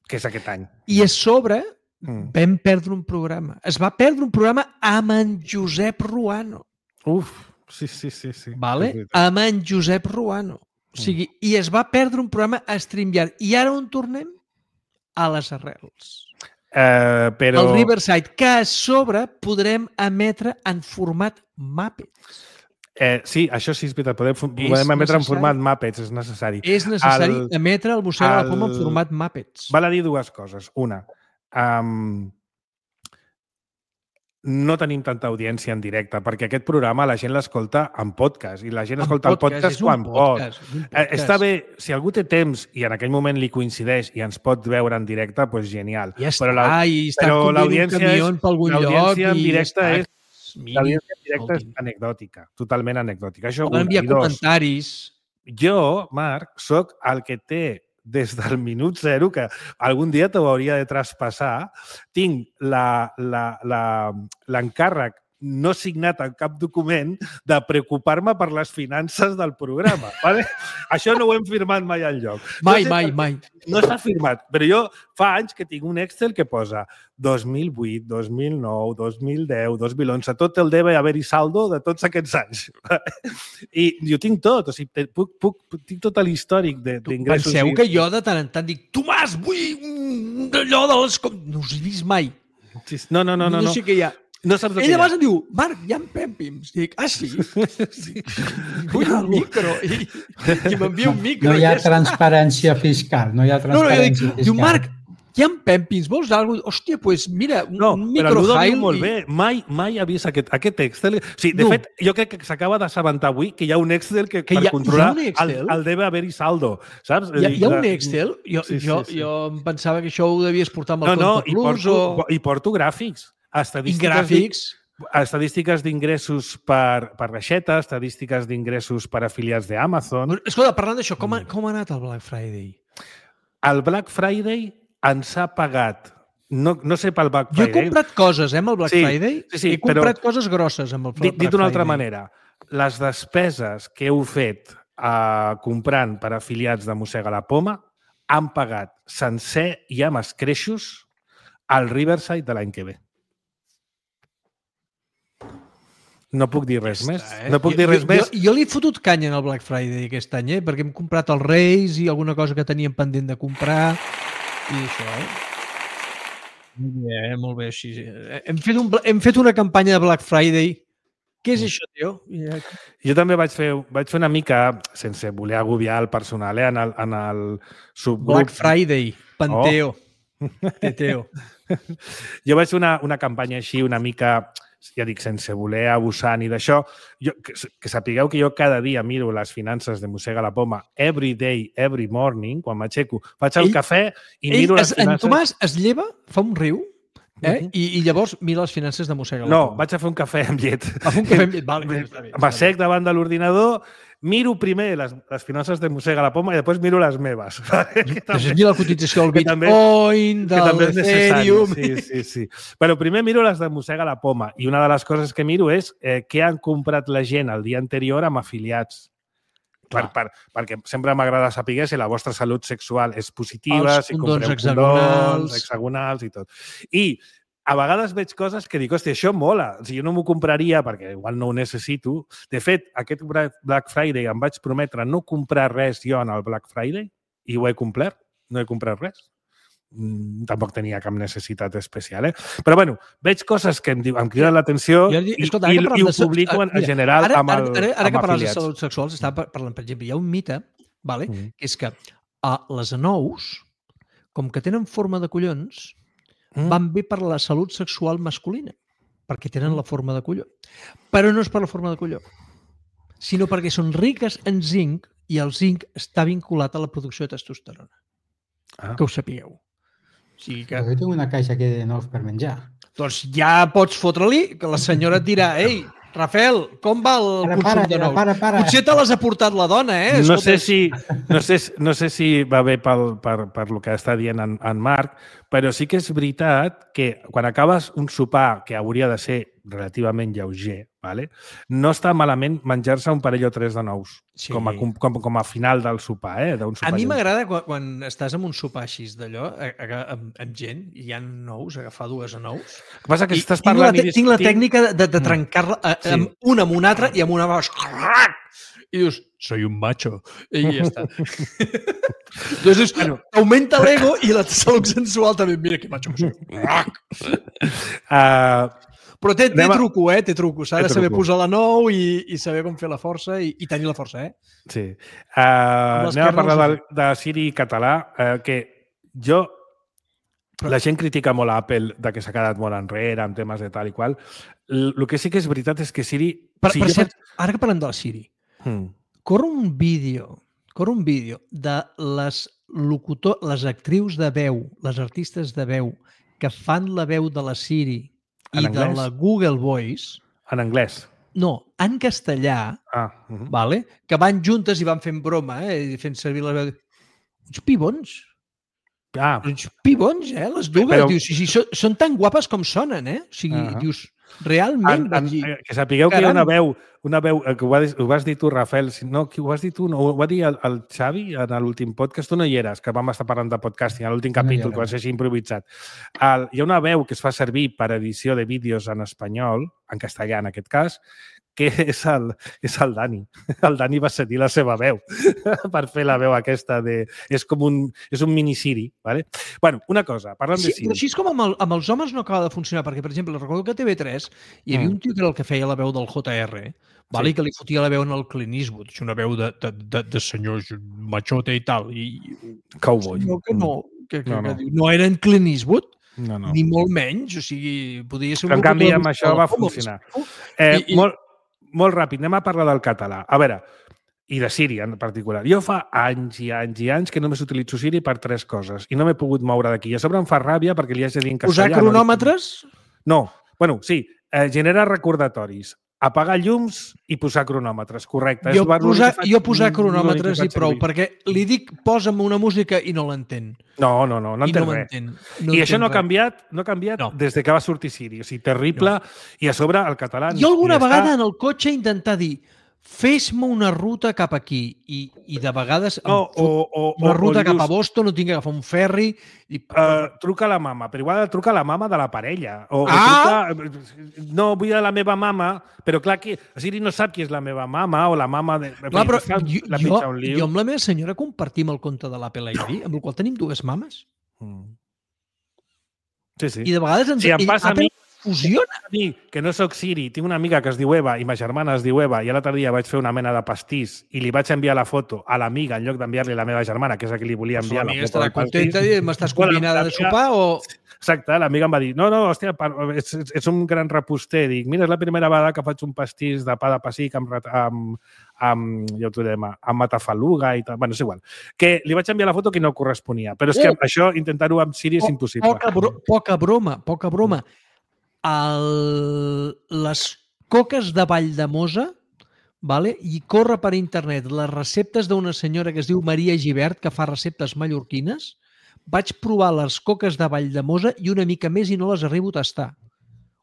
Que és aquest any. I a sobre mm. vam perdre un programa. Es va perdre un programa amb en Josep Ruano. Uf, sí, sí, sí. sí. Vale? Amb en Josep Ruano. O sigui, mm. i es va perdre un programa a StreamYard. I ara on tornem? A les arrels. Uh, però... El Riverside, que a sobre podrem emetre en format Muppets. Eh, sí, això sí, és veritat. Podem, podem És emetre en necessari. format Muppets, és necessari. És necessari El- emetre el Mossega la Poma en el- format Muppets. Val a dir dues coses. Una, um, no tenim tanta audiència en directe, perquè aquest programa la gent l'escolta en podcast, i la gent En escolta el podcast és un quan podcast, pot. és un Eh, podcast. Està bé, si algú té temps i en aquell moment li coincideix i ens pot veure en directe, doncs genial. Ja està, Però la, i està però conduint un l'audiència camió és- per algun lloc l'audiència en i directe ja és- està. Miri, l'audiència en directe és escolti'm. anecdòtica, totalment anecdòtica. Això Poden una. enviar I dos, comentaris. jo, Marc, sóc el que té des del minut zero, que algun dia t'ho hauria de traspassar, tinc la- la- la- l'encàrrec no signat en cap document de preocupar-me per les finances del programa. Vale? Això no ho hem firmat mai enlloc. Mai, no sé mai, per què mai. No està firmat, però jo fa anys que tinc un Excel que posa dos mil vuit, dos mil nou, dos mil deu, dos mil onze, tot el debe haver-hi saldo de tots aquests anys. I jo tinc tot, o sigui, te- puc, puc, tinc tot l'històric de- d'ingressos. Penseu i- que jo de tant en tant dic Tomàs, vull un allò de les... com-". No us he vist mai. Sí, No, no, no, no. no no. sé què hi ha. No saps el que Ell hi ha. llavors em diu, Marc, hi ha pèmpims. Dic, ah, sí? Vull un micro. I, i m'envia un micro. No hi ha i ja està. transparència fiscal. No hi ha No, no, jo dic, transparència diu, fiscal. Marc, hi ha pèmpims, vols alguna cosa? Hòstia, doncs pues mira, un, No, un però el Ludo microhile diu molt i- bé. Mai, mai ha vist aquest, aquest Excel. Sí, de No. fet, jo crec que s'acaba d'assabentar avui que hi ha un Excel que, Que per hi ha- controlar hi ha un Excel? el, el debe haver-hi saldo. Saps? Hi ha, hi ha un La- Excel? Jo, Sí, sí, jo, sí. jo em pensava que això ho devies portar amb No, el no, Compte i Plus porto, o... i porto gràfics. I Estadístiques gràfics. estadístiques d'ingressos per, per reixeta, estadístiques d'ingressos per afiliats d'Amazon. Escolta, parlant d'això, com, ha, com ha anat el Black Friday? El Black Friday ens ha pagat, no, no sé pel Black Jo he Friday, comprat coses, eh, amb el Black Sí, Friday. sí, sí, he comprat però- coses grosses amb el dit, Black dit d'una altra Friday. manera, les despeses que heu fet eh, comprant per afiliats de Mossega la Poma han pagat sencer i amb escreixos al Riverside de l'any que ve. No puc dir res més. Està, eh? No puc Jo- dir res jo, més. Jo, jo li he fotut canya en el Black Friday aquest any, eh? Perquè hem comprat els Reis i alguna cosa que teníem pendent de comprar i això, eh? Molt bé, eh? Molt bé, així. eh? Hem fet, un, bla- hem fet una campanya de Black Friday. Què és això, tio? I, eh, Jo també vaig fer, vaig fer una mica, sense voler agobiar el personal, eh, en el, en el subgrup. Black Friday, Panteo, Oh. Teteo. Jo vaig fer una, una campanya així una mica, ja dic, sense voler abusar ni d'això. Jo, que, que sapigueu que jo cada dia miro les finances de Mossega la Poma every day, every morning, quan m'aixeco. Faig el Ell- cafè i Ell, miro les es, en finances. Tomàs es lleva, fa un riu, eh? Mhm. I, i llavors mira les finances de Mossega la No, Poma. vaig a fer un cafè amb llet. Va fer un cafè amb llet. Vale, està bé, està bé. M'assec davant de l'ordinador, miro primer les, les finances de Mossega la Poma i després miro les meves. Que Després mira la cotització del que també- Bitcoin, que també del és necessari. Ethereum... Sí, sí, sí. Però primer miro les de Mossega la Poma i una de les coses que miro és eh, què han comprat la gent el dia anterior amb afiliats. Per, per, perquè sempre m'agrada saber si la vostra salut sexual és positiva, Els si condons compreu hexagonals. condons, hexagonals i tot. I a vegades veig coses que dic, hòstia, això mola. O sigui, jo no m'ho compraria perquè igual no ho necessito. De fet, aquest Black Friday em vaig prometre no comprar res jo en el Black Friday i ho he complert. No he comprat res. Mm, tampoc tenia cap necessitat especial, eh? Però, bueno, veig coses que em, diu- em criden l'atenció Jo, i, escolta, i, ara que i parlem ho de salut- publico en, ah, mira, en general ara, amb, el, ara, ara, ara amb que parles de afiliats. salut sexual, estava par- parlant, per exemple, hi ha un mite, vale? Mm. que és que a les anous, com que tenen forma de collons, Mm. van bé per la salut sexual masculina, perquè tenen la forma de colló. Però no és per la forma de colló, sinó perquè són riques en zinc i el zinc està vinculat a la producció de testosterona. Ah. Que ho sapigueu. O sigui que, Però jo tinc una caixa aquí de nous per menjar. doncs ja pots fotre-li, que la senyora et dirà ei, Rafael, com va el Para, consum para, de nous? para, para. Potser te l'has aportat la dona, eh? No Escolta, sé si, no sé, no sé si va bé pel, per, per lo que està dient en, en Marc, però sí que és veritat que quan acabes un sopar que hauria de ser relativament lleuger, vale? no està malament menjar-se un parell o tres de nous, Sí. com, a, com, com a final del sopar. Eh? d'un A sopar mi lleuger. m'agrada quan, quan estàs en un sopar així d'allò, a- a- amb, amb gent, i hi ha nous, agafar dues a nous. El que passa és que I estàs tinc, la, parlant te- i tinc la discutint- tècnica de, de trencar-la eh, Sí. amb una amb una altra i amb una vas... I dius, soy un macho. I ja està. Entonces, bueno, augmenta l'ego i la salut sensual també. Mira que macho que soy. Uh, Però té, té Anem a- truco, eh? Té truco. S'ha Té de saber truco. posar la nou i, i saber com fer la força i, i tenir la força, eh? Sí. Uh, anem a l'esquerra parlar no de, de Siri català, uh, que jo... La gent critica molt a Apple de que s'ha quedat molt enrere en temes de tal i qual. El que sí que és veritat és que Siri... Per, si per jo cert, faig- ara que parlem de la Siri, Hmm. corre un vídeo, corre un vídeo de les locutor, les actrius de veu, les artistes de veu que fan la veu de la Siri i En de anglès? la Google Voice, En anglès. no, en castellà, Ah, uh -huh. vale? Que van juntes i van fent broma, eh? I fent servir la veu. Uns pibons. ah Uns pibons, eh? Les dues. Però- Dius, sí, sí, són, són tan guapes com sonen, eh? O sigui, Ah. dius, realment en, vaig en, dir... eh, que sapigueu que hi ha caram. una veu, una veu eh, que ho, va, dir- ho vas dir tu, Rafael, si no, qui ho vas dir tu? No, ho va dir el, el Xavi en l'últim podcast, tu no hi eres, que vam estar parlant de podcasting, a l'últim No hi capítol, era. que va ser així improvisat. El, hi ha una veu que es fa servir per edició de vídeos en espanyol, en castellà en aquest cas, que és el, és el Dani. El Dani va cedir la seva veu per fer la veu aquesta de... És com un, és un mini Siri, ¿vale? Bueno, una cosa, parlant Sí, de però Siri. així és com amb, el, amb els homes no acaba de funcionar, perquè, per exemple, recordo que a T V tres hi havia Mm. un tio que era el que feia la veu del J R, vale? Sí. I que li fotia la veu en el Clint Eastwood, una veu de, de, de, de senyor machote i tal. I, Cowboy. no, que no, que, que, No, no, no. que diu, no era en Clint Eastwood, No, no. ni molt menys, o sigui, podia ser un En locutor canvi, de amb això va com ho funcionar. explico? Eh, I- i- molt, molt ràpid, anem a parlar del català. A veure, i de Siri en particular. Jo fa anys i anys i anys que només utilitzo Siri per tres coses i no m'he pogut moure d'aquí. I a sobre em fa ràbia perquè li haig de dir en Posar castellà. cronòmetres? No, bueno, sí, eh, genera recordatoris. Apagar llums i posar cronòmetres, correcte. Jo És l'únic posar, que faig- jo posar l'únic que cronòmetres i faig prou, servir. perquè li dic posa'm una música i no l'entén. No, no, no, no I entén no res. m'entén. No I això entén no ha res. canviat, no ha canviat No. des de que va sortir Siri. O sigui, terrible. No. I a sobre el català... Jo alguna ni està- vegada en el cotxe intentar dir fes-me una ruta cap aquí i, i de vegades em No, fot o, o, una o- ruta o cap a dius, Boston, no tinc que agafar un ferri i... Uh, truca a la mama, però igual truca a la mama de la parella. O, Ah! o truca, no, vull a la meva mama, però clar que Siri no sap qui és la meva mama o la mama... De, Clar, però fa jo, la jo, pitja un liu. jo amb la meva senyora compartim el compte de l'Apple I D, amb el qual tenim dues mames. Mm. Sí, sí. I de vegades ens, Si em ell- passa a Apple mi- fusiona. A mi, que no sóc Siri, tinc una amiga que es diu Eva i ma germana es diu Eva i l'altre dia vaig fer una mena de pastís i li vaig enviar la foto a l'amiga en lloc d'enviar-li a la meva germana, que és a qui li volia enviar la L'amiga foto estarà del pastís. contenta i m'estàs Bueno, convidada de l'amiga- sopar o... Exacte, l'amiga em va dir, no, no, hòstia, per- ets, ets, ets un gran reposter. Dic, mira, és la primera vegada que faig un pastís de pa de pessic amb, rat- amb, amb, ja ho direm, amb matafaluga i tal. Bueno, és igual. Que li vaig enviar la foto que no corresponia. Però és que Oh! això, intentar-ho amb Siri és Po- impossible. Poca, bro, poca broma, poca broma. El, les coques de Valldemossa, vale? I corre per internet les receptes d'una senyora que es diu Maria Gibert, que fa receptes mallorquines. Vaig provar les coques de Valldemossa i una mica més i no les arribo a tastar.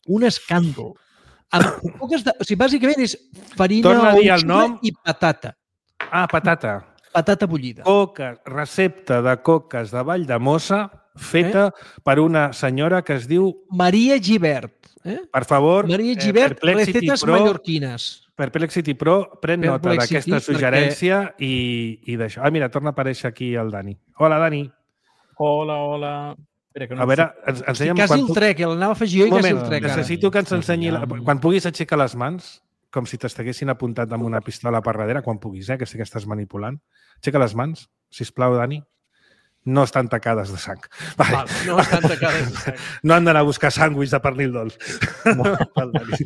Un escàndol. Amb coques de, o sigui, bàsicament és farina Torna a dir o el sucre nom. i patata. Ah, patata. Patata bullida. Coca, recepta de coques de Valldemossa feta eh? per una senyora que es diu, Maria Gibert. Eh? per favor, Maria eh, Gibert, Perplexity recetes Pro, mallorquines. Perplexity Pro, pren nota Perplexity, d'aquesta suggerència i, i d'això. Ah, mira, torna a aparèixer aquí el Dani. Hola, Dani. Hola, hola. Espera, que no A veure, ens, Estic ensenya'm... quasi quan el puc- trec, eh? l'anava a afegir jo i Un quasi moment, el trec. ara. necessito que ens Sí, ensenyi... La... ja. Quan puguis aixecar les mans, com si t'estiguessin apuntat amb una pistola per darrere, quan puguis, eh, que sí que estàs manipulant. Aixeca les mans, sisplau, Dani. No estan tacades de sang. Vale. Val, no estan tacades de sang. No han d'anar a buscar sàndwich de pernil dolç. Val, Dani.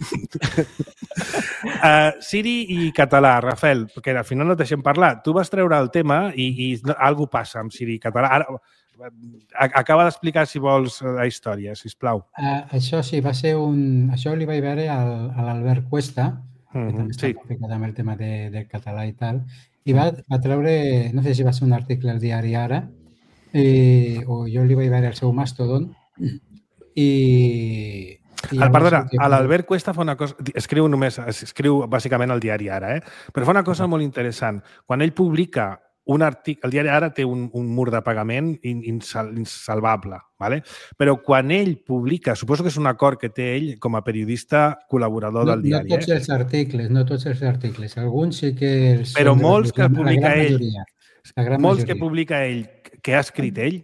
uh, Siri i català, Rafael, perquè al final no et deixem parlar. Tu vas treure el tema i, i no, alguna passa amb Siri i català. Ara, a- acaba d'explicar, si vols, la història, sisplau. Uh, això sí, va ser un... Això li vaig veure al, a l'Albert Cuesta, que Mhm, també sí. està ficat amb el tema de, del català i tal, i va, va treure, no sé si va ser un article al diari Ara, eh, o jo li vaig veure al seu Mastodon, i... i El, perdona, llavors el que- l'Albert Cuesta fa una cosa... Escriu només, escriu bàsicament al diari Ara, eh? Però fa una cosa molt interessant. Quan ell publica un article... El diari Ara té un, un mur de pagament in- insal, insalvable, ¿vale? Però quan ell publica... Suposo que és un acord que té ell com a periodista col·laborador no, del diari, no tots eh? els articles, no tots els articles. Alguns sí que... Els Però són de molts que la gran publica ell, majoria, la gran Molts que majoria. publica ell, que ha escrit ell,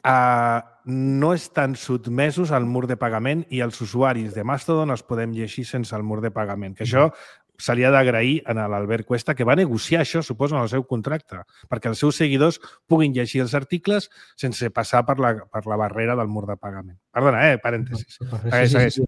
Uh, no estan sotmesos al mur de pagament i els usuaris de Mastodon els podem llegir sense el mur de pagament. Que això se li ha d'agrair a l'Albert Cuesta, que va negociar això, suposo, en el seu contracte, perquè els seus seguidors puguin llegir els articles sense passar per la, per la barrera del mur de pagament. Perdona, eh? Parèntesis. Segueix, segueix.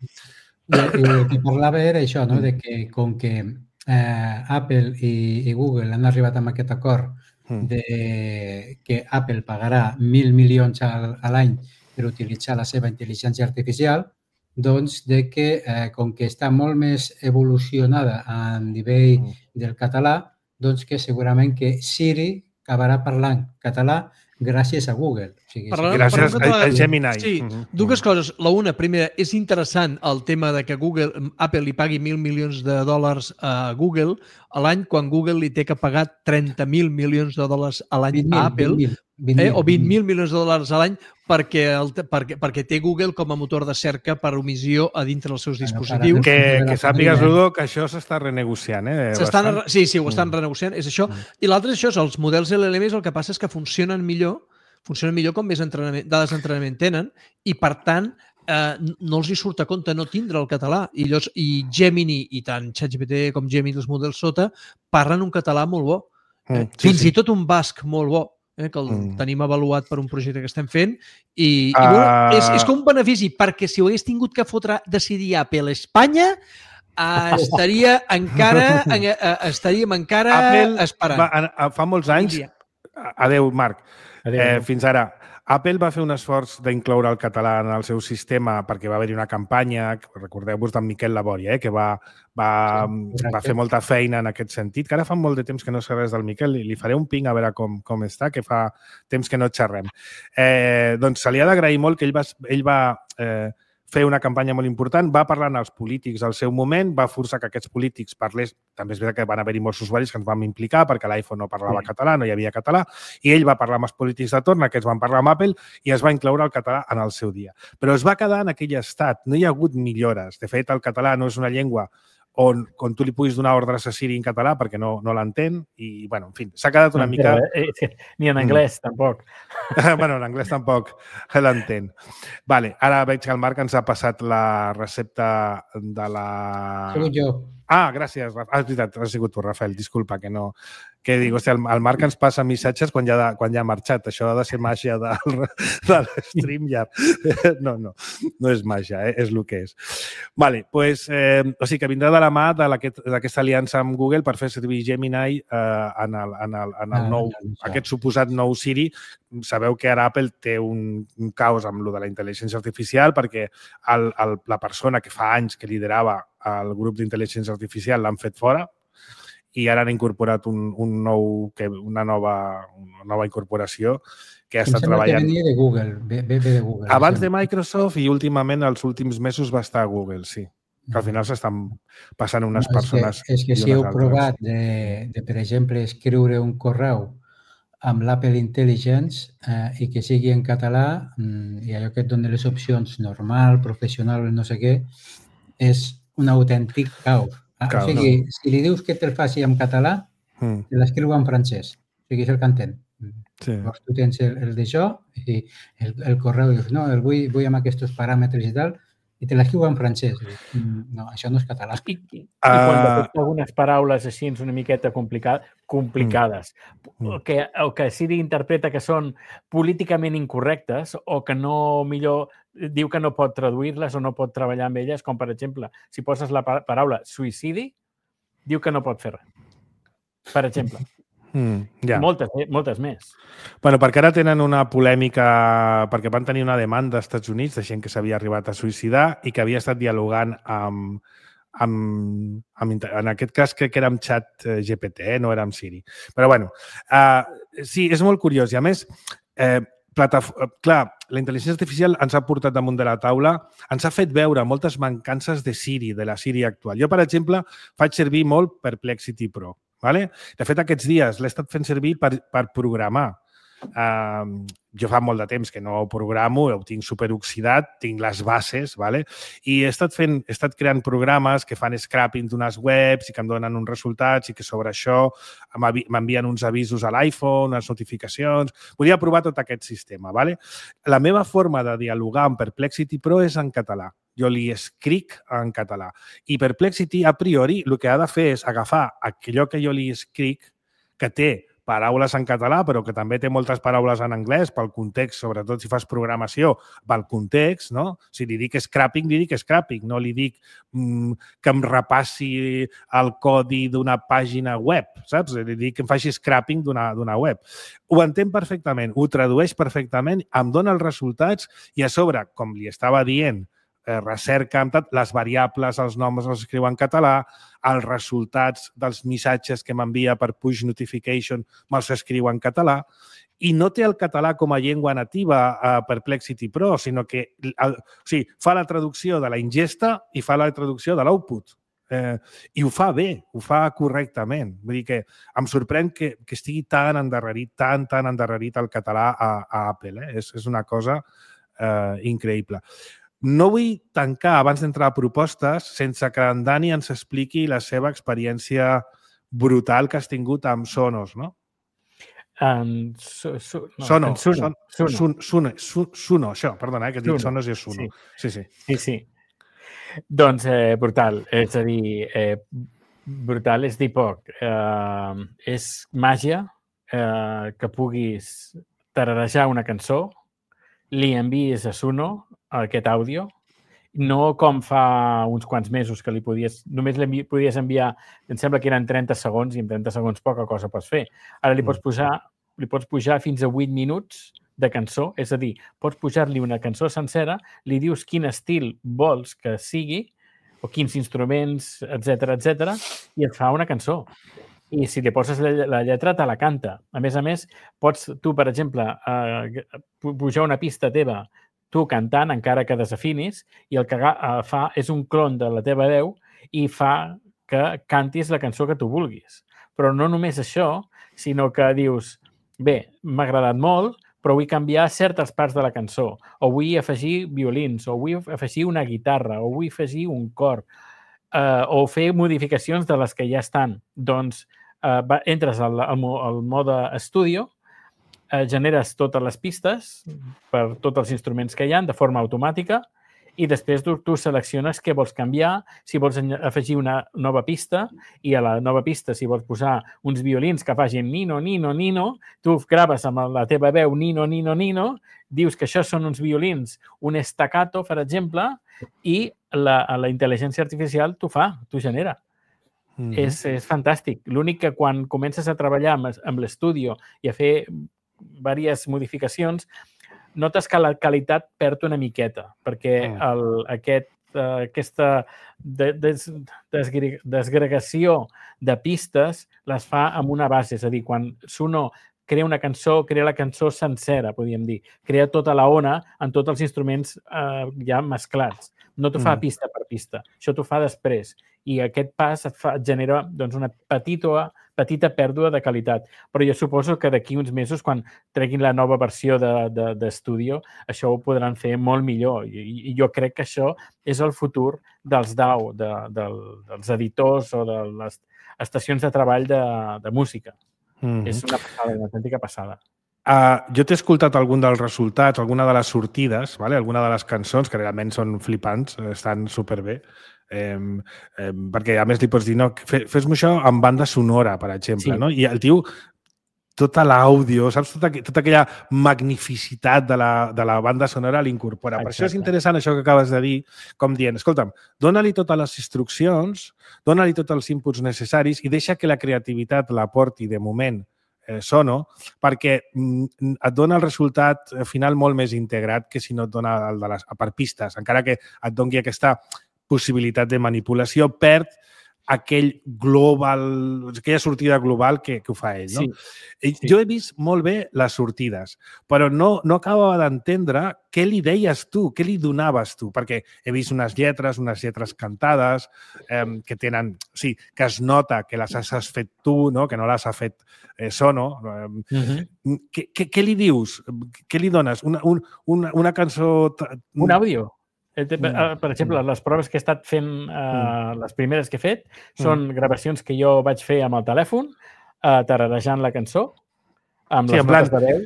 El que parlava era això, no? De que com que eh, Apple i, i Google han arribat amb aquest acord de que Apple pagarà mil milions a l'any per utilitzar la seva intel·ligència artificial, doncs de que, eh, com que està molt més evolucionada a nivell del català, doncs que segurament que Siri acabarà parlant català gràcies a Google. O sigui, Parlant, gràcies a Gemini. Sí, dues coses. La una, primera, és interessant el tema de que Google, Apple li pagui mil milions de dòlars a Google a l'any, quan Google li té que pagar trenta mil milions de dòlars a l'any a Apple, vint mil, eh, o vint mil milions de dòlars a l'any perquè, el, perquè, perquè té Google com a motor de cerca per omissió a dintre dels seus dispositius. Que, que sàpigues, Ludo, que això s'està renegociant. Eh, sí, sí, ho estan renegociant, és això. I l'altre és això, els models L L Ms el que passa és que funcionen millor funcionen millor com més entrenament, dades d'entrenament tenen i, per tant, eh, no els hi surt a compte no tindre el català. I, llavors, i Gemini, i tant ChatGPT com Gemini, els models sota, parlen un català molt bo. Eh? Mm, sí, Fins sí. i tot un basc molt bo, eh? que el mm. tenim avaluat per un projecte que estem fent. I, uh... i bueno, és, és com un benefici, perquè si ho hagués tingut que fotre, decidir Apple a Espanya, Uh, estaria encara uh, estaríem encara Apple esperant. Va, fa molts anys... Adéu, Marc. Adéu. Eh, fins ara, Apple va fer un esforç d'incloure el català en el seu sistema perquè va haver-hi una campanya, recordeu-vos d'en Miquel Labòria, eh, que va, va, sí, va fer molta feina en aquest sentit, que ara fa molt de temps que no sé res del Miquel, i li faré un ping a veure com, com està, que fa temps que no xerrem. Eh, doncs se li ha d'agrair molt que ell va, ell va eh, fer una campanya molt important, va parlar amb els polítics al seu moment, va forçar que aquests polítics parlés, també és veritat que van haver-hi molts usuaris que ens vam implicar perquè l'iPhone no parlava sí. català, no hi havia català, i ell va parlar amb els polítics de torn, aquests van parlar amb Apple i es va incloure el català en el seu dia. Però es va quedar en aquell estat, no hi ha hagut millores. De fet, el català no és una llengua on, on tu li puguis donar ordres a Siri en català perquè no, no l'entén i, bueno, en fi, s'ha quedat una no, mica... Eh, ni en anglès, mm. tampoc. bueno, en anglès tampoc l'entén. Vale, ara veig que el Marc ens ha passat la recepta de la... Sigut jo. Ah, gràcies. Ah, és veritat, has sigut tu, Rafael, disculpa, que no... Que dic, hòstia, el Marc ens passa missatges quan ja, de, quan ja ha marxat. Això ha de ser màgia de, de l'StreamYard. No, no, no és màgia, eh? És el que és. Vale, pues, eh, o sigui que vindrà de la mà d'aquesta aliança amb Google per fer servir Gemini eh, en, el, en, el, en el nou, aquest suposat nou Siri. Sabeu que ara Apple té un, un caos amb lo de la intel·ligència artificial perquè el, el, la persona que fa anys que liderava el grup d'intel·ligència artificial l'han fet fora i ara han incorporat un, un nou, que, una, nova, una nova incorporació que ha estat treballant... Em sembla que venia de Google, ve, ve de Google. Abans de Microsoft i últimament els últims mesos va estar a Google, sí. Que al final s'estan passant unes no, persones... És que, és que si heu provat de, de, per exemple, escriure un correu amb l'Apple Intelligence eh, i que sigui en català i allò que et dona les opcions normal, professional, no sé què, és un autèntic caos. Cal, o sigui, no. si li dius que te'l faci en català, mm. te l'escriu en francès. O sigui, és el que entén. Sí. Llavors tu tens el, el d'això i el, el correu dius, no, el vull, vull amb aquests paràmetres i tal, i te l'escriu en francès. No, això no és català. I, i, uh... i quan detecta algunes paraules així una miqueta complicades, complicades mm. o, que, o que Siri interpreta que són políticament incorrectes o que no, millor, diu que no pot traduir-les o no pot treballar amb elles, com per exemple, si poses la paraula suïcidi, diu que no pot fer res. Per exemple. Mm, ja. Moltes, moltes més. Bueno, perquè ara tenen una polèmica, perquè van tenir una demanda als Estats Units de gent que s'havia arribat a suïcidar i que havia estat dialogant amb, amb, amb en aquest cas crec que era amb Chat G P T, eh? No era amb Siri. Però bueno, uh, sí, és molt curiós i a més, eh, Plataf clar, la intel·ligència artificial ens ha portat damunt de la taula, ens ha fet veure moltes mancances de Siri, de la Siri actual. Jo, per exemple, faig servir molt Perplexity Pro. Vale? De fet, aquests dies l'he estat fent servir per, per programar. Uh, jo fa molt de temps que no ho programo, ho tinc superoxidat, tinc les bases, ¿vale? I he estat, fent, he estat creant programes que fan scrapping d'unes webs i que em donen uns resultats i que sobre això m'envien uns avisos a l'iPhone, unes notificacions. Volia provar tot aquest sistema, ¿vale? La meva forma de dialogar amb Perplexity Pro és en català. Jo li escric en català. I Perplexity, a priori, el que ha de fer és agafar allò que jo li escric, que té paraules en català, però que també té moltes paraules en anglès pel context, sobretot si fas programació, pel context, no? Si li dic scrapping, li dic scrapping, no li dic mm, que em repassi el codi d'una pàgina web, saps? Li dic que em faci scrapping d'una web. Ho entén perfectament, ho tradueix perfectament, em dona els resultats i a sobre, com li estava dient, eh, recerca amb tot, les variables, els noms els escriu en català, els resultats dels missatges que m'envia per push notification me'ls escriu en català i no té el català com a llengua nativa a Perplexity Pro, sinó que el, o sigui, fa la traducció de la ingesta i fa la traducció de l'output. Eh, I ho fa bé, ho fa correctament. Vull dir que em sorprèn que, que estigui tan endarrerit, tan, tan endarrerit el català a, a Apple. Eh? És, és una cosa eh, increïble. No vull tancar, abans d'entrar a propostes, sense que en Dani ens expliqui la seva experiència brutal que has tingut amb Sonos, no? Um, su, su, no, Sono, en Suno. son, Suno. Sun, Suno, Su, Suno, això, perdona, eh, que dic Suno, Sonos i és Suno. Sí, sí. Sí, sí. Doncs eh, brutal, és a dir, eh, brutal és dir poc. Eh, és màgia eh, que puguis tararejar una cançó, li envies a Suno aquest àudio, no com fa uns quants mesos que li podies, només li podies enviar, em sembla que eren trenta segons i en trenta segons poca cosa pots fer. Ara li pots posar, li pots pujar fins a vuit minuts de cançó, és a dir, pots pujar-li una cançó sencera, li dius quin estil vols que sigui, o quins instruments, etcètera, etcètera, i et fa una cançó. I si li poses la lletra, te la canta. A més a més, pots tu, per exemple, eh, pujar una pista teva tu cantant, encara que desafinis, i el que fa és un clon de la teva veu i fa que cantis la cançó que tu vulguis. Però no només això, sinó que dius, bé, m'ha agradat molt, però vull canviar certes parts de la cançó, o vull afegir violins, o vull afegir una guitarra, o vull afegir un cor, eh, o fer modificacions de les que ja estan. Doncs eh, va, entres al, al, al mode Studio, eh, generes totes les pistes per tots els instruments que hi ha de forma automàtica i després tu, tu selecciones què vols canviar, si vols afegir una nova pista i a la nova pista si vols posar uns violins que facin nino, nino, nino, tu graves amb la teva veu nino, nino, nino, dius que això són uns violins, un staccato, per exemple, i la, la intel·ligència artificial t'ho fa, t'ho genera. Mm-hmm. És, és fantàstic. L'únic que quan comences a treballar amb, amb l'estudi i a fer diverses modificacions, notes que la qualitat perd una miqueta, perquè el, aquest, uh, aquesta des, des, desgregació de pistes les fa amb una base. És a dir, quan Suno crea una cançó, crea la cançó sencera, podríem dir. Crea tota la ona en tots els instruments uh, ja mesclats. No t'ho fa pista per pista. Això t'ho fa després. I aquest pas et, fa, et genera doncs, una petita, petita pèrdua de qualitat. Però jo suposo que d'aquí uns mesos, quan treguin la nova versió d'Estudio, de, de això ho podran fer molt millor. I, I jo crec que això és el futur dels D A W, de, de, dels editors o de les estacions de treball de, de música. Mm-hmm. És una passada, una autèntica passada. Uh, jo t'he escoltat algun dels resultats, alguna de les sortides, vale? Alguna de les cançons, que realment són flipants, estan superbé, eh, eh, perquè a més li pots dir, no, fes-me això amb banda sonora, per exemple, sí. No? I el tio, tota l'àudio, saps? Tota, tota aquella magnificitat de la, de la banda sonora l'incorpora. Per això és interessant això que acabes de dir, com dient, escolta'm, dóna-li totes les instruccions, dóna-li tots els inputs necessaris i deixa que la creativitat l'aporti de moment Eh, Sono, perquè mm, et dona el resultat final molt més integrat que si no et dona el de les, per pistes. Encara que et doni aquesta possibilitat de manipulació, perd aquell global, aquella sortida global que, que ho fa ell. No? Sí, sí. Jo he vist molt bé les sortides, però no, no acabava d'entendre què li deies tu, què li donaves tu, perquè he vist unes lletres, unes lletres cantades, eh, que tenen, sí, que es nota que les has fet tu, no? Que no les ha fet eh, Sono. Eh, uh-huh. què, què, què li dius? Què li dones? Una, un, una, una cançó... Un àudio. Per exemple, les proves que he estat fent, uh, les primeres que he fet, són gravacions que jo vaig fer amb el telèfon, uh, tararejant la cançó, amb sí, les notes de veu.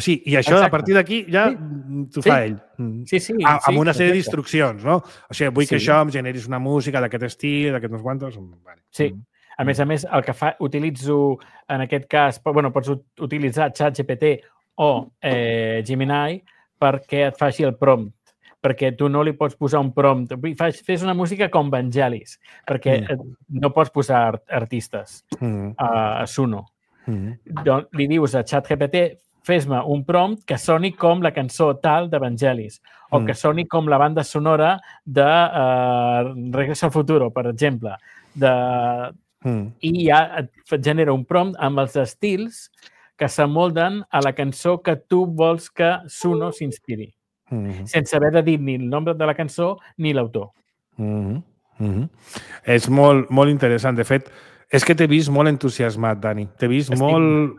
Així, i això, exacte. A partir d'aquí, ja t'ho sí. fa ell. Sí, sí. A, amb sí, una sèrie d'instruccions, no? O sigui, vull sí. que això em generis una música d'aquest estil, d'aquests uns quantos... Vale. Sí. A més a més, el que fa, utilitzo, en aquest cas, bueno, pots utilitzar ChatGPT o eh, Gemini perquè et faci el prompt, perquè tu no li pots posar un prompt. Fes una música com Vangelis, perquè mm. no pots posar art artistes mm. a, a Suno. Mm. Doncs li dius a ChatGPT, fes-me un prompt que soni com la cançó tal de Vangelis, o mm. que soni com la banda sonora de uh, Regreso al Futuro, per exemple. De... Mm. I ja et genera un prompt amb els estils que s'amolden a la cançó que tu vols que Suno s'inspiri, mm-hmm. sense haver de dir ni el nombre de la cançó ni l'autor. Mm-hmm. Mm-hmm. És molt, molt interessant. De fet, és que t'he vist molt entusiasmat, Dani. T'he vist Estic... molt,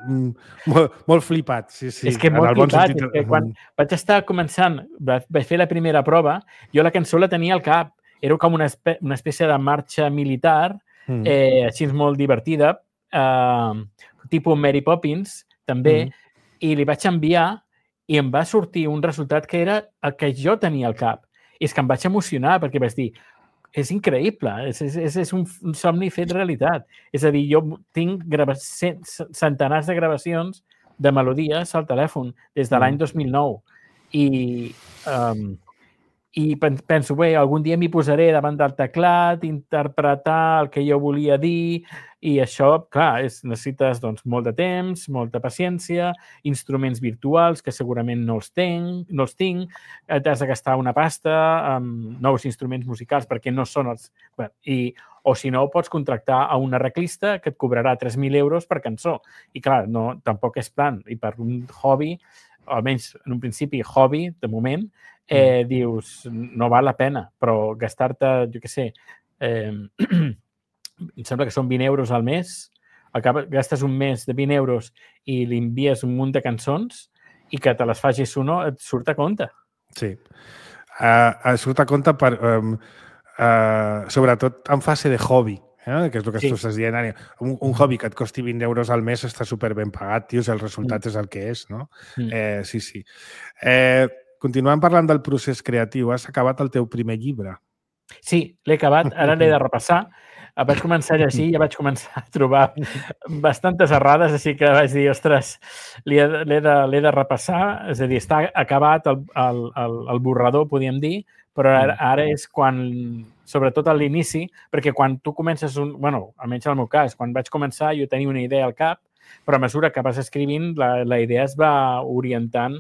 molt, molt flipat. Sí, sí. És que molt flipat. Bon sentit... és que quan vaig estar començant, vaig fer la primera prova, jo la cançó la tenia al cap. Era com una, espè una espècie de marxa militar, mm. eh, així molt divertida, eh, tipus Mary Poppins, també, mm. i li vaig enviar i em va sortir un resultat que era el que jo tenia al cap. I és que em vaig emocionar perquè vaig dir, és increïble, és, és, és un, un somni fet realitat. És a dir, jo tinc centenars de gravacions de melodies al telèfon des de l'any dos mil nou i, um, i penso, bé, algun dia m'hi posaré davant del teclat, interpretar el que jo volia dir i això, clar, és, necessites doncs, molt de temps, molta paciència, instruments virtuals que segurament no els tinc, no els tinc, t'has de gastar una pasta amb nous instruments musicals perquè no són els... Bé, i, o si no, pots contractar a un arreglista que et cobrarà tres mil euros per cançó. I clar, no, tampoc és plan. I per un hobby, almenys en un principi hobby, de moment, eh, mm. dius, no val la pena, però gastar-te, jo què sé, eh, em sembla que són vint euros al mes, acaba, gastes un mes de vint euros i li envies un munt de cançons i que te les facis uno, et surt a compte. Sí. Uh, surt a compte per, um, uh, sobretot en fase de hobby, eh? Que és el que sí. tu estàs dient, Ània. Un, un hobby que et costi vint euros al mes està super ben pagat, tios, el resultat mm. és el que és, no? Mm. Eh, sí, sí. Eh, continuem parlant del procés creatiu. Has acabat el teu primer llibre. Sí, l'he acabat. Ara l'he de repassar. Vaig començar a llegir i ja vaig començar a trobar bastantes errades, així que vaig dir, ostres, l'he de, de, de repassar. És a dir, està acabat el, el, el, el borrador, podríem dir, però ara, ara és quan, sobretot a l'inici, perquè quan tu comences un... bueno, almenys en el meu cas, quan vaig començar jo tenia una idea al cap, però a mesura que vas escrivint, la, la idea es va orientant,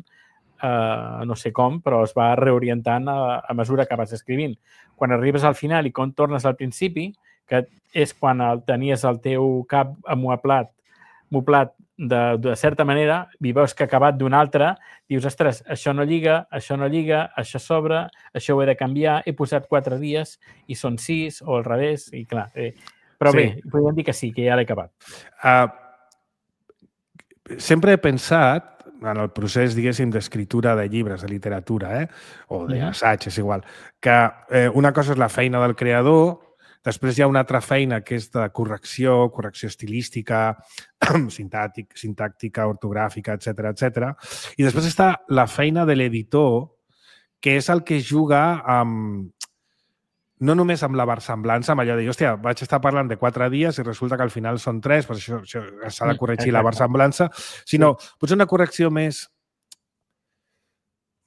eh, no sé com, però es va reorientant a, a mesura que vas escrivint. Quan arribes al final i quan tornes al principi, que és quan el, tenies el teu cap amuaplat, moplat de, de certa manera, i veus que ha acabat d'una altra, dius, ostres, això no lliga, això no lliga, això s'obre, això ho he de canviar, he posat quatre dies i són sis, o al revés, i clar. Eh, però sí. Bé, podríem dir que sí, que ja l'he acabat. Uh, sempre he pensat, en el procés, diguéssim, d'escriptura de llibres, de literatura, eh? o d'assaig, és igual, que eh, una cosa és la feina del creador. Després hi ha una altra feina que és de correcció, correcció estilística, sintàctic, sintàctica, ortogràfica, etcètera, etcètera. I després està la feina de l'editor, que és el que juga amb... no només amb la versemblança, amb allò de dir, hòstia, vaig estar parlant de quatre dies i resulta que al final són tres, per això, això s'ha de corregir la versemblança, sinó potser una correcció més...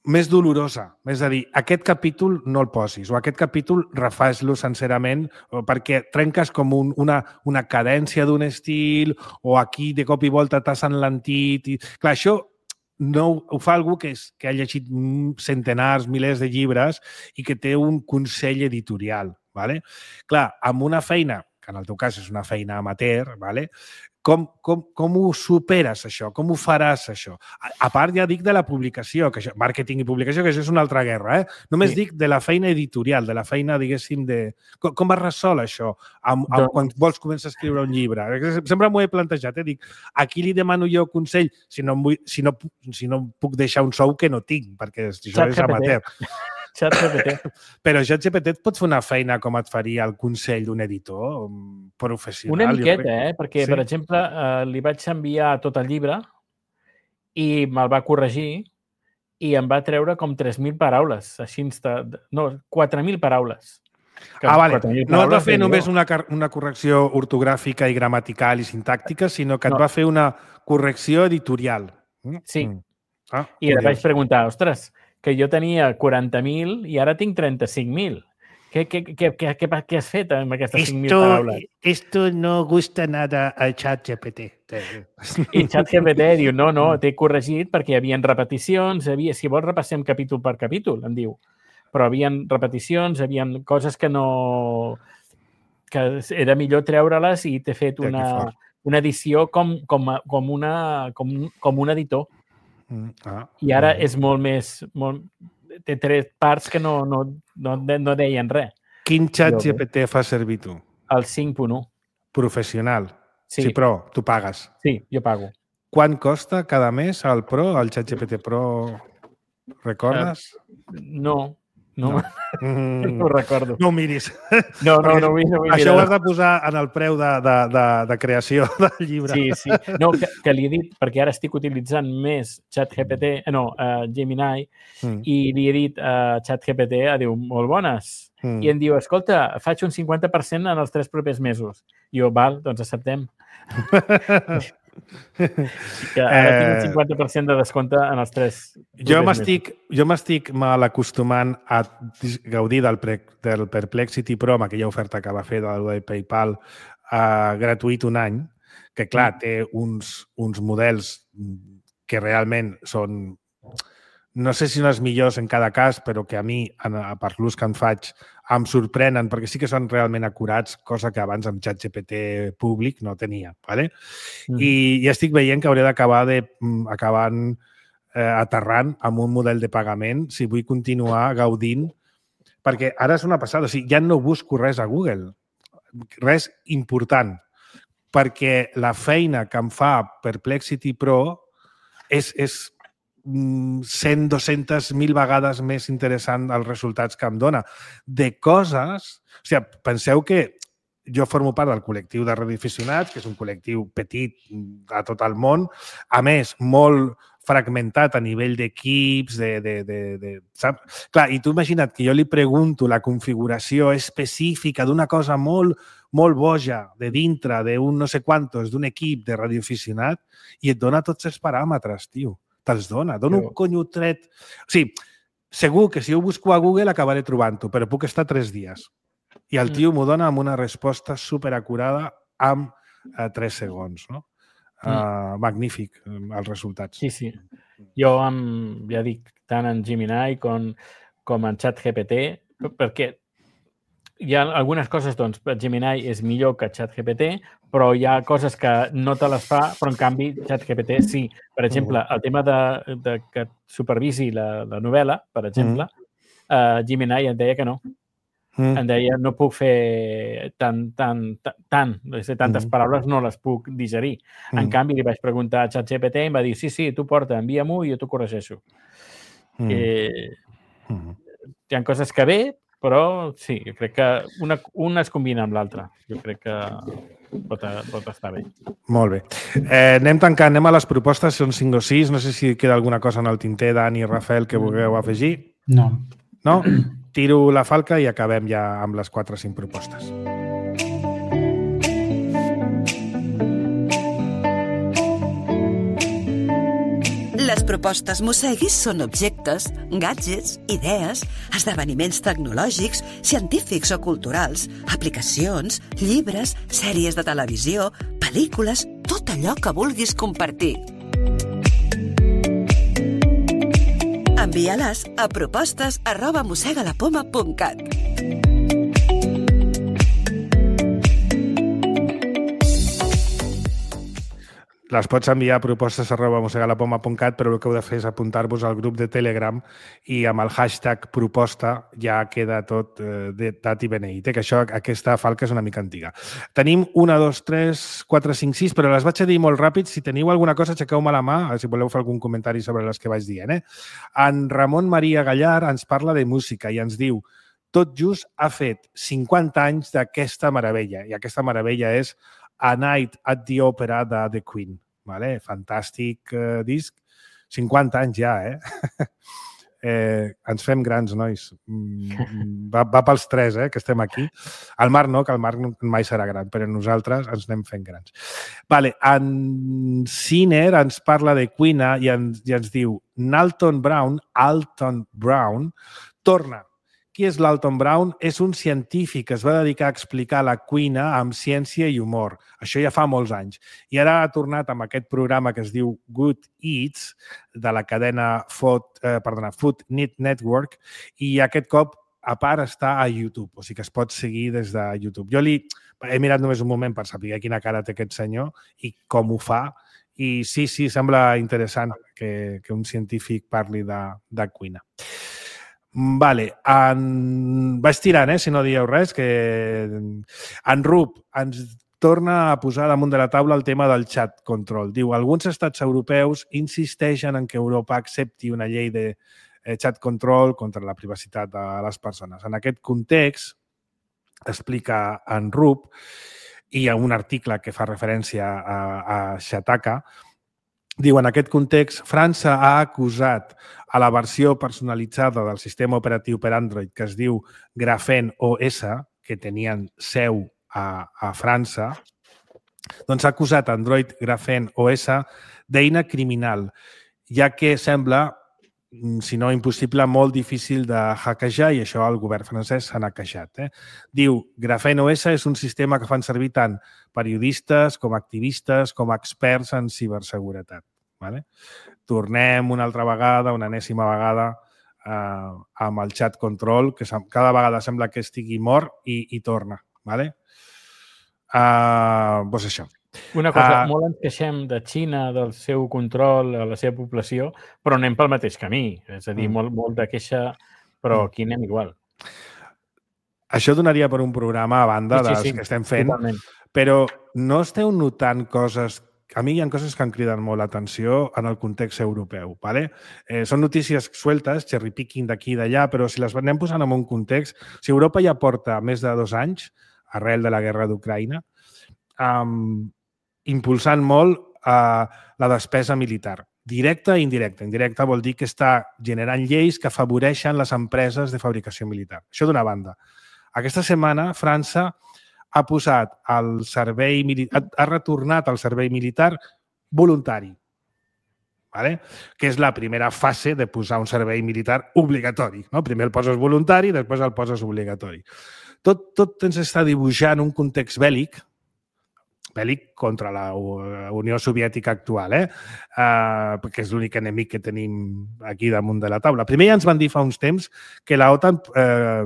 més dolorosa. És a dir, aquest capítol no el posis, o aquest capítol refas-lo sencerament perquè trenques com un, una, una cadència d'un estil, o aquí de cop i volta t'has enlentit. I... Clar, això no ho fa algú que, és, que ha llegit centenars, milers de llibres i que té un consell editorial, Vale? Clar, amb una feina, que en el teu cas és una feina amateur, vale? Com, com, com ho superes, això? Com ho faràs, això? A, a part, ja dic de la publicació, que això, màrqueting i publicació, que això és una altra guerra, eh? Només sí. dic de la feina editorial, de la feina, diguéssim, de... Com, com es resol això amb, amb, doncs... quan vols començar a escriure un llibre? Sempre m'ho he plantejat, eh? Dic, aquí li demano jo consell si no, vull, si no, si no puc deixar un sou que no tinc, perquè això Xat és amateur. ChatGPT. Però ChatGPT et pot fer una feina com et faria el consell d'un editor professional. Una miqueta, eh? Perquè, sí. per exemple, eh, li vaig enviar tot el llibre i me'l va corregir i em va treure com tres mil paraules. Així, no, quatre mil paraules. Que ah, vale. No et va fer només una, una correcció ortogràfica i gramatical i sintàctica, sinó que et no. va fer una correcció editorial. Sí. Mm. Ah, I et vaig preguntar, ostres, que jo tenia quaranta mil i ara tinc trenta-cinc mil. Què, què, què, què, què, què has fet amb aquestes cinc mil paraules? Esto no gusta nada al ChatGPT. I ChatGPT diu, no, no, t'he corregit perquè hi havia repeticions, havia, si vols repassem capítol per capítol, em diu. Però hi havia repeticions, hi havia coses que no... que era millor treure-les i t'he fet una, una edició com, com, com, una, com, com un editor. Ah, I ara ah. és molt més... Molt, té tres parts que no, no, no, no deien res. Quin ChatGPT fa servir tu? El cinc punt u. Professional? Sí. Sí, però tu pagues? Sí, jo pago. Quan costa cada mes el Pro, el ChatGPT Pro? Recordes? Uh, no. No, no. Mm. no ho recordo. No ho miris. No, no, no ho vull, no vull Això mirar. ho has de posar en el preu de, de, de, de creació del llibre. Sí, sí. No, que, que li he dit, perquè ara estic utilitzant més ChatGPT, no, uh, Gemini, mm. i li he dit a uh, ChatGPT, diu, molt bones. Mm. I em diu, escolta, faig un cinquanta per cent en els tres propers mesos. I jo, val, doncs acceptem. Que ara tinc un cinquanta per cent de descompte en els tres. Jo m'estic jo m'estic mal acostumant a gaudir del, pre, del Perplexity Pro, amb aquella oferta que va fer de PayPal uh, gratuït un any, que clar, té uns, uns models que realment són, no sé si no els millors en cada cas, però que a mi, per l'ús que en faig, em sorprenen, perquè sí que són realment acurats, cosa que abans amb ChatGPT públic no tenia. ¿vale? Mm. I, I estic veient que hauré d'acabar de, acabant eh, aterrant amb un model de pagament si vull continuar gaudint, perquè ara és una passada, o sigui, ja no busco res a Google, res important, perquè la feina que em fa Perplexity Pro és, és cent, dues-centes mil vegades més interessant els resultats que em dona. De coses... O sigui, penseu que jo formo part del col·lectiu de radioaficionats, que és un col·lectiu petit a tot el món, a més, molt fragmentat a nivell d'equips, de, de, de, de, saps? Clar, i tu imagina't que jo li pregunto la configuració específica d'una cosa molt, molt boja, de dintre d'un no sé quantos, d'un equip de radioaficionat, i et dona tots els paràmetres, tio. Te'ls dona. Dona un conyo tret. O sigui, segur que si ho busco a Google acabaré trobant-ho, però puc estar tres dies. I el tio m'ho dona amb una resposta superacurada amb eh, tres segons. No? Uh, magnífic, els resultats. Sí, sí. Jo, amb, ja dic, tant en Gemini com, com en ChatGPT, perquè hi ha algunes coses, doncs, Gemini és millor que ChatGPT, però hi ha coses que no te les fa, però en canvi ChatGPT sí. Per exemple, el tema de, de que supervisi la, la novel·la, per exemple, mm. uh, Gemini em deia que no. Mm. Em deia, no puc fer tant, tant, tant, tant tantes mm. paraules no les puc digerir. Mm. En canvi, li vaig preguntar a ChatGPT i em va dir, sí, sí, tu porta, envia-m'ho i jo t'ho corregeixo. Mm. Eh, mm. Hi ha coses que bé, però sí, jo crec que una, una es combina amb l'altra. Jo crec que pot, pot estar bé. Molt bé. Eh, anem tancant, anem a les propostes, són cinc o sis. No sé si queda alguna cosa en el tinter, Dani i Rafael, que vulgueu afegir. No. No? Tiro la falca i acabem ja amb les quatre o cinc propostes. Les propostes Mosseguis són objectes, gadgets, idees, esdeveniments tecnològics, científics o culturals, aplicacions, llibres, sèries de televisió, pel·lícules, tot allò que vulguis compartir. Envia-les a propostes arroba mossegalapoma punt cat. les pots enviar a propostes arroba mosegalapoma punt cat, però el que heu de fer és apuntar-vos al grup de Telegram i amb el hashtag proposta ja queda tot eh, dat i beneït, eh? Que això, aquesta falca és una mica antiga. Tenim una, dos, tres, quatre, cinc, sis, però les vaig a dir molt ràpid. Si teniu alguna cosa, aixequeu-me la mà, si voleu fer algun comentari sobre les que vaig dient. Eh? En Ramon Maria Gallar ens parla de música i ens diu: tot just ha fet cinquanta anys d'aquesta meravella, i aquesta meravella és A Night at the Opera de The Queen. Vale? Fantàstic eh, disc. cinquanta anys ja, eh? eh? Ens fem grans, nois. Va, va pels tres, eh, que estem aquí. El Marc no, que el Marc mai serà gran, però nosaltres ens anem fent grans. Vale. En Sinner ens parla de Queen i ens, i ens diu Alton Brown, Alton Brown, torna. Qui és l'Alton Brown? És un científic que es va dedicar a explicar la cuina amb ciència i humor. Això ja fa molts anys. I ara ha tornat amb aquest programa que es diu Good Eats, de la cadena Food, eh, perdona, Food Network, i aquest cop, a part, està a YouTube, o sigui que es pot seguir des de YouTube. Jo li he mirat només un moment per saber quina cara té aquest senyor i com ho fa, i sí, sí, sembla interessant que, que un científic parli de, de cuina. Vale, en... vaig tirant, eh, si no dieu res, que en Rup ens torna a posar damunt de la taula el tema del chat control. Diu, alguns estats europeus insisteixen en que Europa accepti una llei de chat control contra la privacitat de les persones. En aquest context, explica en Rup, i hi ha un article que fa referència a, a Shataka, diu, en aquest context, França ha acusat a la versió personalitzada del sistema operatiu per Android que es diu Graphene O S, que tenien seu a, a França, doncs ha acusat Android Graphene O S d'eina criminal, ja que sembla, si no impossible, molt difícil de hackejar, i això el govern francès s'ha queixat. Eh? Diu, Graphene O S és un sistema que fan servir tant periodistes com activistes com experts en ciberseguretat. Vale? Tornem una altra vegada, una enèsima vegada, eh, amb el chat control, que cada vegada sembla que estigui mort i, i torna. Vale? Uh, doncs això. Una cosa, uh, molt ens queixem de Xina, del seu control a la seva població, però anem pel mateix camí. És a dir, mm. molt, molt de queixa, però aquí anem igual. Això donaria per un programa a banda sí, sí, dels sí, que estem fent, totalment. Però no esteu notant coses... A mi hi ha coses que em criden molt l'atenció en el context europeu. Vale? Eh, són notícies sueltes, cherry-picking d'aquí i d'allà, però si les anem posant en un context... Si Europa ja porta més de dos anys, arrel de la guerra d'Ucraïna, um, impulsant molt uh, la despesa militar, directa i indirecta. Indirecta vol dir que està generant lleis que afavoreixen les empreses de fabricació militar. Això d'una banda. Aquesta setmana, França ha posat el servei militar, ha retornat al servei militar voluntari, vale? Que és la primera fase de posar un servei militar obligatori. No? Primer el poses voluntari, després el poses obligatori. Tot, tot ens està dibuixant un context bèl·lic, bèl·lic contra la Unió Soviètica actual, eh? Uh, perquè és l'únic enemic que tenim aquí damunt de la taula. Primer ja ens van dir fa uns temps que la OTAN... Eh,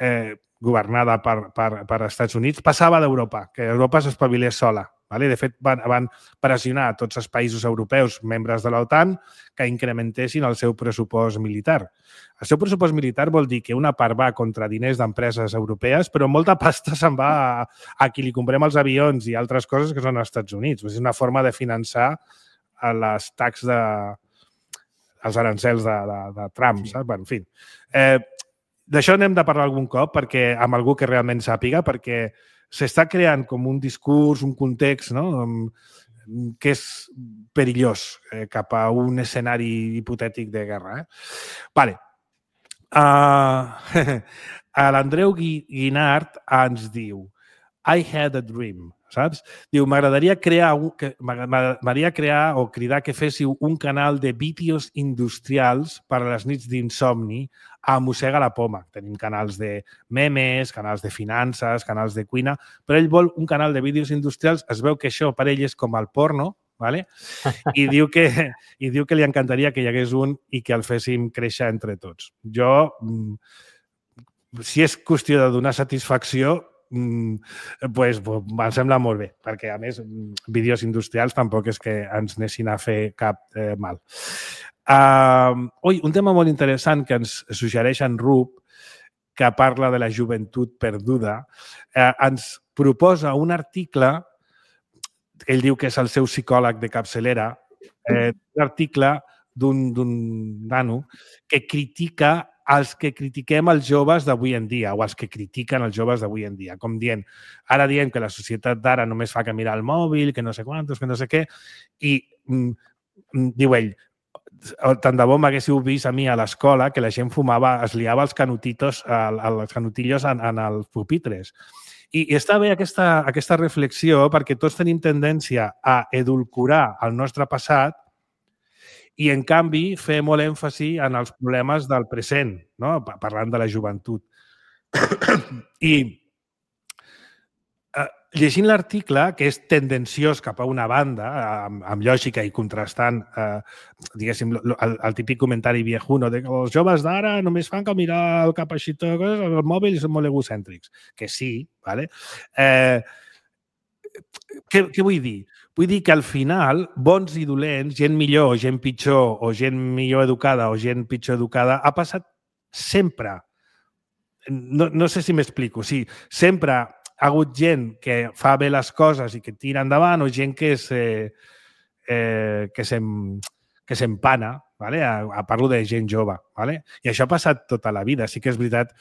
eh, governada per, per, per Estats Units, passava d'Europa, que Europa s'espavilés sola. Vale? De fet, van, van pressionar a tots els països europeus, membres de l'OTAN, que incrementessin el seu pressupost militar. El seu pressupost militar vol dir que una part va contra diners d'empreses europees, però molta pasta se'n va a, a qui li comprem els avions i altres coses que són als Estats Units. És una forma de finançar les taxes de... els arancels de, de, de Trump, saps? Bueno, en fi. Eh, D'això n'hem de parlar algun cop perquè amb algú que realment sàpiga, perquè s'està creant com un discurs, un context, no? Que és perillós eh, cap a un escenari hipotètic de guerra. Eh? Vale. Uh, L'Andreu Guinart ens diu I had a dream, saps? Diu, m'agradaria crear, m'agradaria crear o cridar que féssiu un canal de vídeos industrials per a les nits d'insomni a Mossega la Poma. Tenim canals de memes, canals de finances, canals de cuina, però ell vol un canal de vídeos industrials. Es veu que això per ell és com el porno, ¿vale? I diu que, i diu que li encantaria que hi hagués un i que el féssim créixer entre tots. Jo, si és qüestió de donar satisfacció, pues, pues, em sembla molt bé, perquè, a més, vídeos industrials tampoc és que ens anessin a fer cap eh, mal. Uh, ui, un tema molt interessant que ens suggereix en Rup, que parla de la joventut perduda, eh, ens proposa un article, ell diu que és el seu psicòleg de capçalera, eh, un article d'un nano que critica els que critiquem els joves d'avui en dia, o els que critiquen els joves d'avui en dia, com dient, ara diem que la societat d'ara només fa que mirar el mòbil, que no sé quantos, que no sé què, i mm, diu ell, tant de bo m'haguéssiu vist a mi a l'escola que la gent fumava, es liava els canutitos, els canutillos en, en els pupitres. I, i està bé aquesta, aquesta reflexió perquè tots tenim tendència a edulcorar el nostre passat i, en canvi, fer molt èmfasi en els problemes del present, no? Parlant de la joventut. I eh, llegint l'article, que és tendenciós cap a una banda, amb, amb lògica i contrastant, eh, diguéssim, el, el típic comentari viejuno de que els joves d'ara només fan que mirar el cap així, el mòbil i són molt egocèntrics. Que sí, ¿vale? Eh, què, què vull dir? Vull dir que al final, bons i dolents, gent millor o gent pitjor, o gent millor educada o gent pitjor educada, ha passat sempre. No, no sé si m'explico. Sí, sempre ha hagut gent que fa bé les coses i que tira endavant o gent que és, eh, eh, que s'empana. ¿Vale? A, a parlo de gent jove. ¿Vale? I això ha passat tota la vida. Sí que és veritat,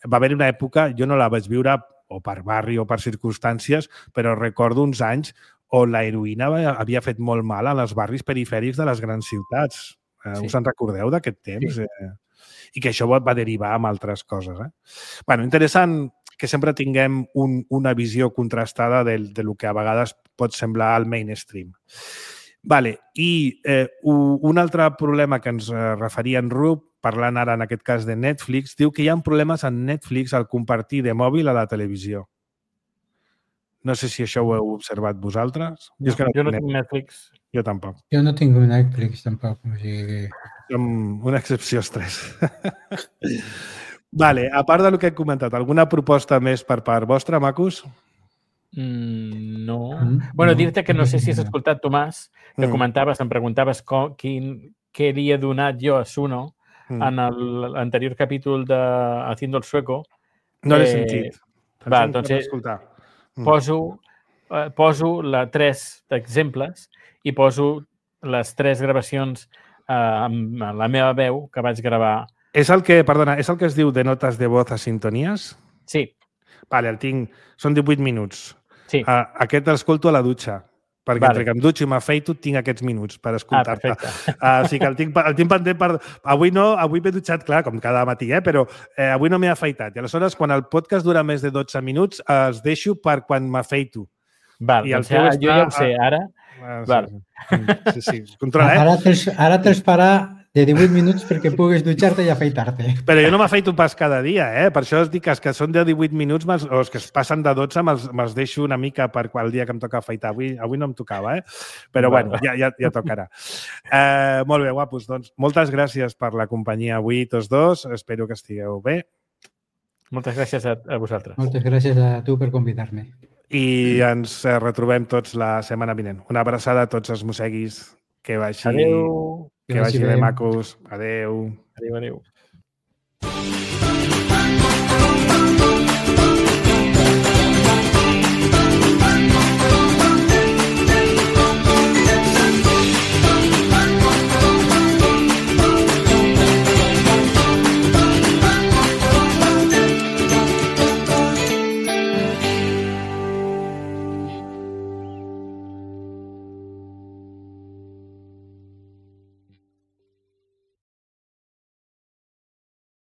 va haver una època, jo no la vaig viure o per barri o per circumstàncies, però recordo uns anys on la heroïna havia fet molt mal als barris perifèrics de les grans ciutats. Eh, sí. Us en recordeu d'aquest temps? Sí. Eh, I que això va derivar en altres coses. Eh? Bueno, interessant que sempre tinguem un, una visió contrastada del, de lo que a vegades pot semblar al mainstream. Vale. I eh, un altre problema que ens referia en Rup, parlant ara en aquest cas de Netflix, diu que hi ha problemes en Netflix al compartir de mòbil a la televisió. No sé si això ho heu observat vosaltres. Jo, és que no, jo no tinc Netflix. Jo tampoc. Jo no tinc Netflix tampoc. O sigui... Som una excepció als tres. Vale, a part del que he comentat, alguna proposta més per part vostra, macos? Mm, no. Mm, bueno, dir-te que no sé si has escoltat, Tomàs, que mm. comentaves, em preguntaves com, quin, què havia donat jo a Suno mm. en l'anterior capítol de Haciendo el Sueco. No l'he eh, sentit. Va, doncs escoltar. Poso, eh, poso la, tres exemples i poso les tres gravacions eh, amb la meva veu que vaig gravar. És el que, perdona, és el que es diu de notes de voz a sintonies? Sí. Vale, el tinc. Són divuit minuts. Sí. Uh, aquest l'escolto a la dutxa, perquè vale. Entre que em dutxo i m'afeito tinc aquests minuts per escoltar-te. Ah, perfecte. Uh, o sigui que el tinc, el tinc pendent per... Avui no, avui m'he dutxat, clar, com cada matí, eh? Però eh, avui no m'he afeitat. I aleshores, quan el podcast dura més de dotze minuts, els deixo per quan m'afeito. Val, I el doncs ja, està... jo ja ho sé, ara... Ah, sí, Val. Sí, sí, sí. Controla, eh? Ara te'ls ara te farà de divuit minuts perquè puguis dutxar-te i afeitar-te. Però jo no m'afeito pas cada dia, eh? Per això es dic que els que són de divuit minuts o els que es passen de dotze me'ls me deixo una mica per qual dia que em toca afeitar. Avui, avui no em tocava, eh? Però bueno, ja, ja, ja tocarà. Eh, molt bé, guapos. Doncs moltes gràcies per la companyia avui, tots dos. Espero que estigueu bé. Moltes gràcies a, a vosaltres. Moltes gràcies a tu per convidar-me. I ens retrobem tots la setmana vinent. Una abraçada a tots els mosseguis. Que vagi, adéu. Que vagi bé, macos. Adéu. Adéu, adéu.